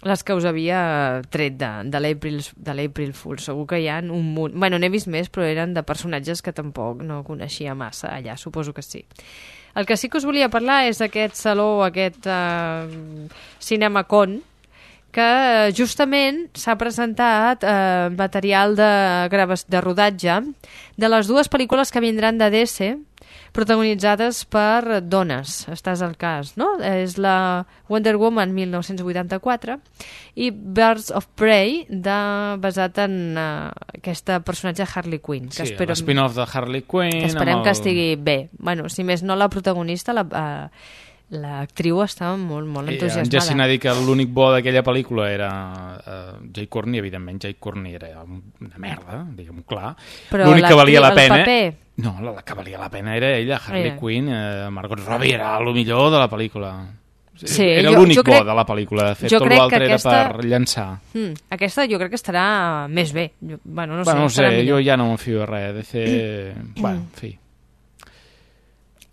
les que us havia tret de, de l'April de l'April Fool. Segur que hi ha un munt... Bueno, n'he vist més, però eren de personatges que tampoc no coneixia massa allà, suposo que sí. El que sí que us volia parlar és aquest saló, aquest uh, CinemaCon, que justament s'ha presentat uh, material de, de rodatge de les dues pel·lícules que vindran de D C, protagonitzades per dones, estàs al cas, no? És la Wonder Woman mil nou-cents vuitanta-quatre i Birds of Prey, de, basat en uh, aquesta personatge Harley Quinn. Que sí, espero, l'spin-off de Harley Quinn. Que esperem amb el... que estigui bé. Bueno, si més no, la protagonista, la, uh, l'actriu estava molt, molt entusiasmada. En Jessin ha dit que l'únic bo d'aquella pel·lícula era uh, Jay Courtney, evidentment Jay Courtney era una merda, diguem-ho clar. L'únic que valia la pena... Paper... No, la que valia la pena era ella, Harley Era. Quinn, eh, Margot Robbie era el millor de la pel·lícula. Sí, era jo- l'únic jo crec- bo de la pel·lícula, de fet, jo tot crec l'altre que aquesta- era per llançar. Mm, aquesta jo crec que estarà més bé. Jo, bueno, no bueno, no sé, sé, estarà jo millor. ja no m'enfio de res, de fer... bueno, en fi.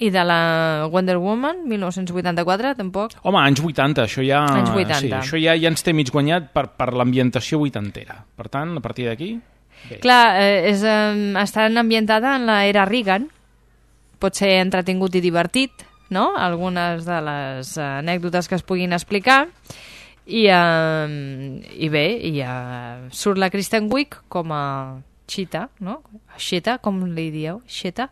I de la Wonder Woman, mil nou-cents vuitanta-quatre, tampoc? Home, anys vuitanta, això ja... Anys vuitanta. Sí, això ja, ja ens té mig guanyat per, per l'ambientació vuitantera. Per tant, a partir d'aquí... Bé. Clar, eh, és, eh, estan ambientada en l'era Reagan, pot ser entretingut i divertit, no? Algunes de les anècdotes que es puguin explicar, i, eh, i bé, i eh, surt la Kristen Wiig com a Cheetah, no? Cheetah, com li dieu? Cheetah?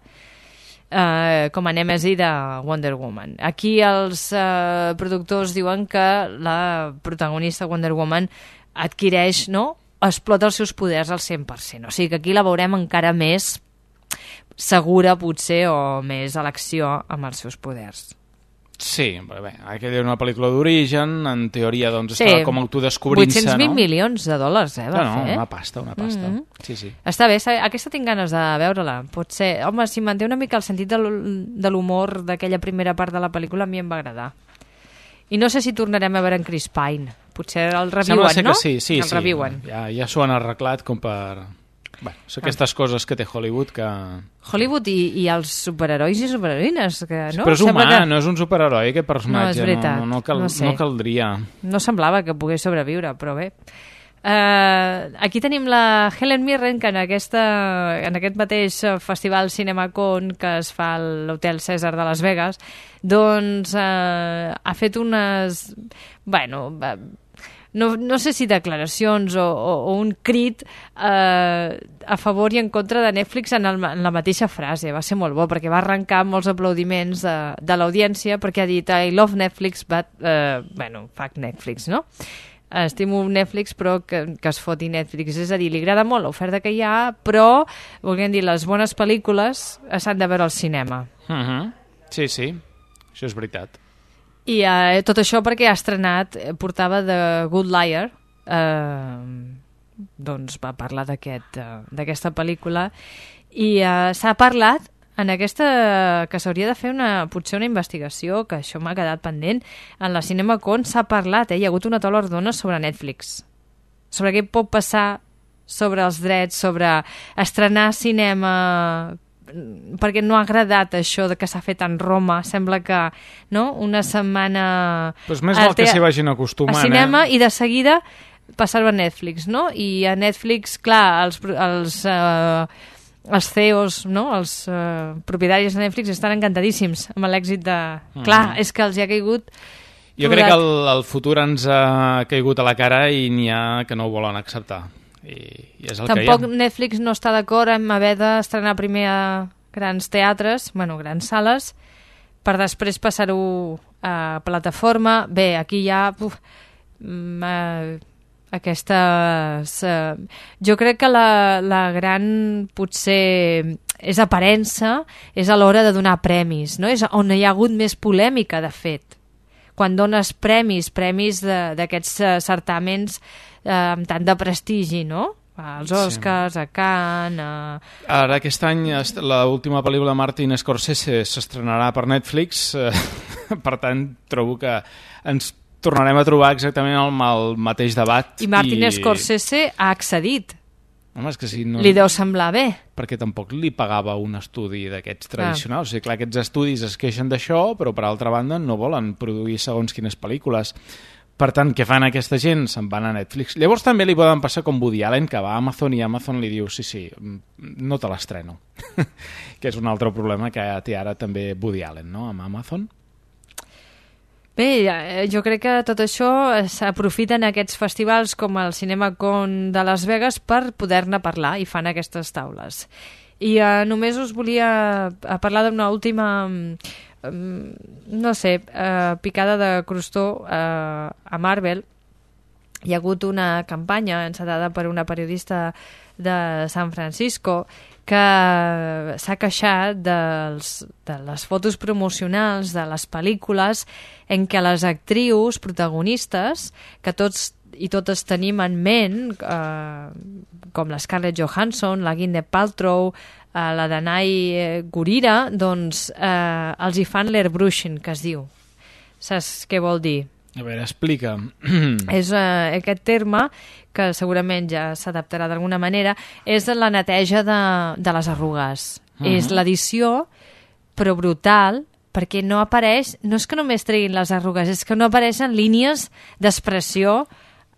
Eh, com a nèmesi de Wonder Woman. Aquí els eh, productors diuen que la protagonista Wonder Woman adquireix, no?, explota els seus poders al cent per cent. O sigui que aquí la veurem encara més segura, potser, o més a l'acció amb els seus poders. Sí, però bé, aquella era una pel·lícula d'origen, en teoria doncs Sí, estava com autodescobrint-se, vuit-cents vint no? milions de dòlars, eh, va No, no, fer. una pasta, una pasta. Mhm. Sí, sí. Està bé, sa- aquesta tinc ganes de veure-la. Pot ser... Home, si manté una mica el sentit de l'hu- de l'humor d'aquella primera part de la pel·lícula, a mi em va agradar. I no sé si tornarem a veure en Chris Pine. Potser el reviuen, Sembla ser no? que sí, sí, el sí. reviuen. Ja, ja s'ho han arreglat com per... Bueno, són aquestes coses que té Hollywood que... Hollywood i, i els superherois i superheroïnes, que no? Però és humà, Sembla que... no és un superheroi, aquest personatge. No, és veritat, No, no, cal, no sé. no caldria. No semblava que pogués sobreviure, però bé. Uh, aquí tenim la Helen Mirren, que en, aquesta, en aquest mateix festival CinemaCon que es fa a l'Hotel César de Las Vegas, doncs uh, ha fet unes... Bueno... Uh, no, no sé si declaracions o, o, o un crit eh, a favor i en contra de Netflix en, el, en la mateixa frase. Va ser molt bo perquè va arrencar molts aplaudiments de, de l'audiència perquè ha dit I love Netflix, but... Eh, bueno, fuck Netflix, no? Estimo Netflix, però que, que es foti Netflix. És a dir, li agrada molt l'oferta que hi ha, però, volguem dir, les bones pel·lícules s'han de veure al cinema. Uh-huh. Sí, sí, això és veritat. I eh, tot això perquè ha estrenat, eh, portava The Good Liar, eh, doncs va parlar d'aquest, eh, d'aquesta pel·lícula, i eh, s'ha parlat en aquesta, que s'hauria de fer una, potser una investigació, que això m'ha quedat pendent, en la CinemaCon s'ha parlat, eh, hi ha hagut una taula rodona sobre Netflix, sobre què pot passar sobre els drets, sobre estrenar cinema... perquè no ha agradat això de que s'ha fet en Roma, sembla que no? Una setmana Pues més val que s'hi vagin acostumant, a cinema, eh? i de seguida passar-ho a Netflix, no? I a Netflix, clar, els, els, uh, els C E Os, no? Els uh, propietaris de Netflix estan encantadíssims amb l'èxit de... Mm. Clar, és que els hi ha caigut... Jo crec que el, el futur ens ha caigut a la cara i n'hi ha que no ho volen acceptar. I, i és el Tampoc que hi ha. Netflix no està d'acord en haver d'estrenar primer a grans teatres, bueno, grans sales, per després passar-ho a plataforma. Bé, aquí hi ha uf, uh, aquestes... Uh, jo crec que la, la gran, potser, és aparença, és a l'hora de donar premis, no? És on hi ha hagut més polèmica, de fet. Quan dones premis, premis d'aquests uh, certàmens uh, amb tant de prestigi, no? Als Oscars, sí. A Cannes... A... Ara aquest any l'última pel·lícula de Martin Scorsese s'estrenarà per Netflix, eh, per tant trobo que ens tornarem a trobar exactament amb el mateix debat. I Martin i... Scorsese ha accedit Home, és que si no... Li deu semblar bé. Perquè tampoc li pagava un estudi d'aquests tradicionals. Ah. O sigui, clar, aquests estudis es queixen d'això, però per altra banda no volen produir segons quines pel·lícules. Per tant, què fan aquesta gent? Se'n van a Netflix. Llavors també li poden passar com Woody Allen, que va a Amazon i Amazon li diu sí, sí, no te l'estreno. Que és un altre problema que té ara també Woody Allen, no?, amb Amazon. Bé, jo crec que tot això s'aprofiten aquests festivals com el CinemaCon de Las Vegas per poder-ne parlar i fan aquestes taules. I uh, només us volia parlar d'una última, um, no sé, uh, picada de crostó uh, a Marvel. Hi ha hagut una campanya encetada per una periodista de San Francisco que s'ha queixat dels, de les fotos promocionals de les pel·lícules en què les actrius protagonistes, que tots i totes tenim en ment, eh, com la Scarlett Johansson, la Gwyneth Paltrow, eh, la Danai Gurira, doncs eh, els hi fan l'airbrushing, que es diu. Saps què vol dir? A veure, explica. És uh, aquest terme, que segurament ja s'adaptarà d'alguna manera, és la neteja de, de les arrugues. Uh-huh. És l'edició, però brutal, perquè no apareix, no és que només treguin les arrugues, és que no apareixen línies d'expressió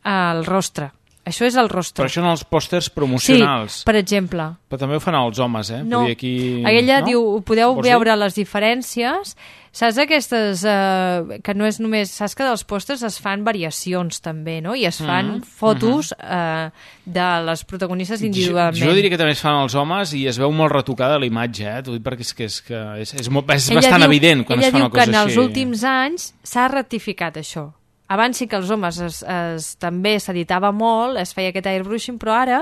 al rostre. Això és el rostre. Però això en els pòsters promocionals. Sí, per exemple. Però també ho fan els homes, eh? No, Vull dir aquí... ella no? diu, podeu Vols veure dir? les diferències. Saps aquestes, eh, que no és només... Saps que dels pòsters es fan variacions també, no? I es fan Mm, fotos eh, de les protagonistes individualment. Jo, jo diria que també es fan els homes i es veu molt retocada la imatge, eh? T'ho dic perquè és, que és, que és, és, molt, és bastant diu, evident quan es fa una cosa així. Ella diu que en els últims anys s'ha rectificat això. Abans sí que els homes es, es, també s'editava molt, es feia aquest airbrushing, però ara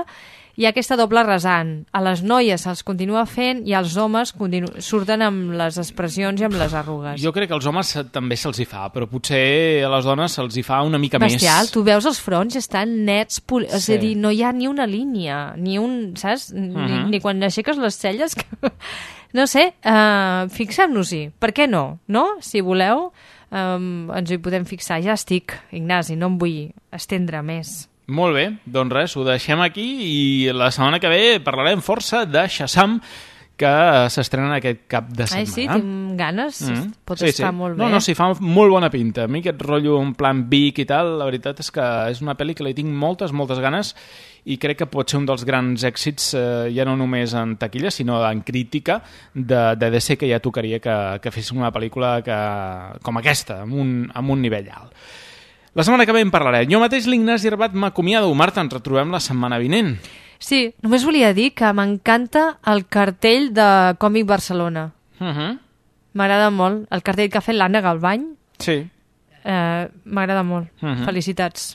hi ha aquesta doble rasant. A les noies se'ls continua fent i als homes continu surten amb les expressions i amb les arrugues. Jo crec que als homes també se'ls hi fa, però potser a les dones se'ls hi fa una mica Bestial, més. Tu veus els fronts, estan nets, sí. És a dir, no hi ha ni una línia, ni un, saps? Ni, uh -huh. ni quan aixeques les celles... Que... No sé, uh, fixem-nos-hi. Per què no? No? Si voleu... Um, ens hi podem fixar. Ja estic, Ignasi, no em vull estendre més. Molt bé, doncs res, ho deixem aquí i la setmana que ve parlarem força de Shazam, que s'estrena aquest cap de setmana. Ai, sí, tinc ganes. Mm. Pot sí, estar sí. molt bé. No, no, sí, fa molt bona pinta. A mi aquest rotllo en plan Vic i tal, la veritat és que és una pel·li que li tinc moltes, moltes ganes i crec que pot ser un dels grans èxits, eh, ja no només en taquilla, sinó en crítica de, de D C, que ja tocaria que, que fes una pel·lícula que, com aquesta, amb un, amb un nivell alt. La setmana que ve en parlaré. Jo mateix, l'Ignasi Herbat, m'acomiado. Marta, ens retrobem la setmana vinent. Sí, només volia dir que m'encanta el cartell de Còmic Barcelona. Uh -huh. M'agrada molt. El cartell que ha fet l'Anna Galvany. Sí. Eh, M'agrada molt. Uh -huh. Felicitats.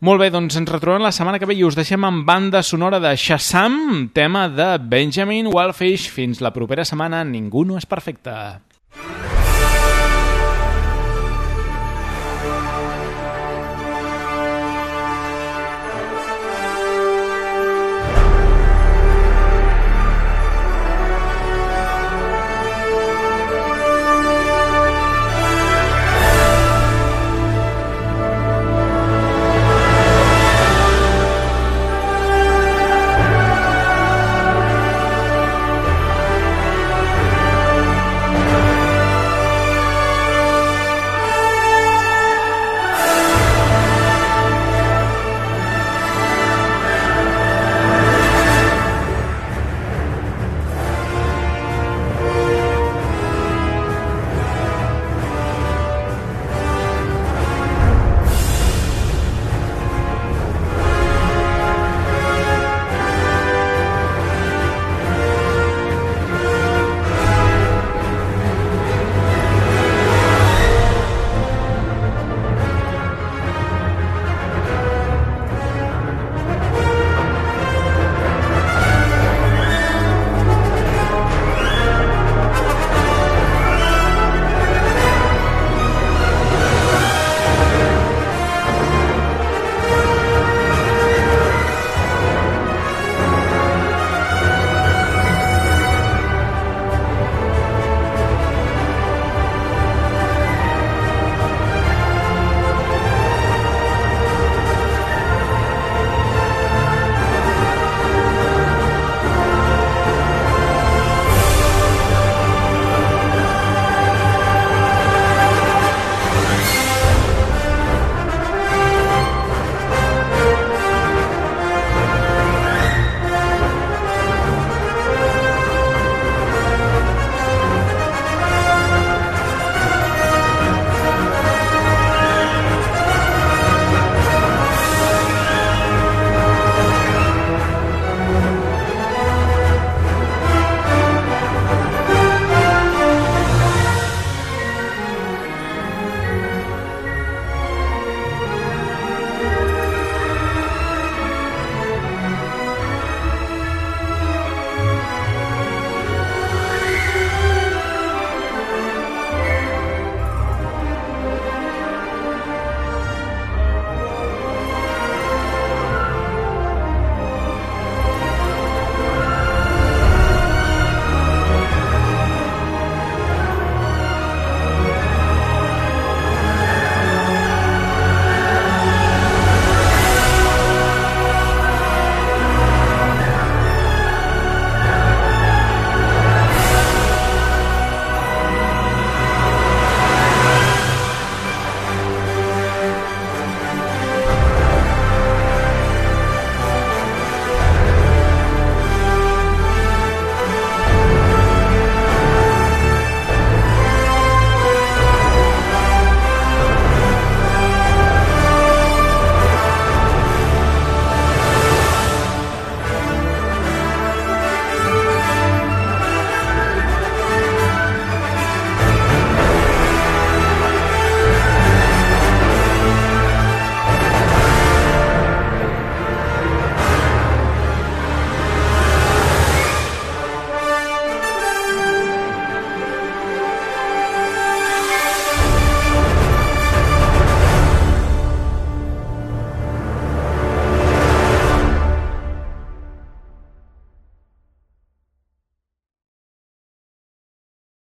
Molt bé, doncs ens retrobem la setmana que ve i us deixem amb banda sonora de Shazam, tema de Benjamin Wallfish. Fins la propera setmana. Ningú no és perfecte.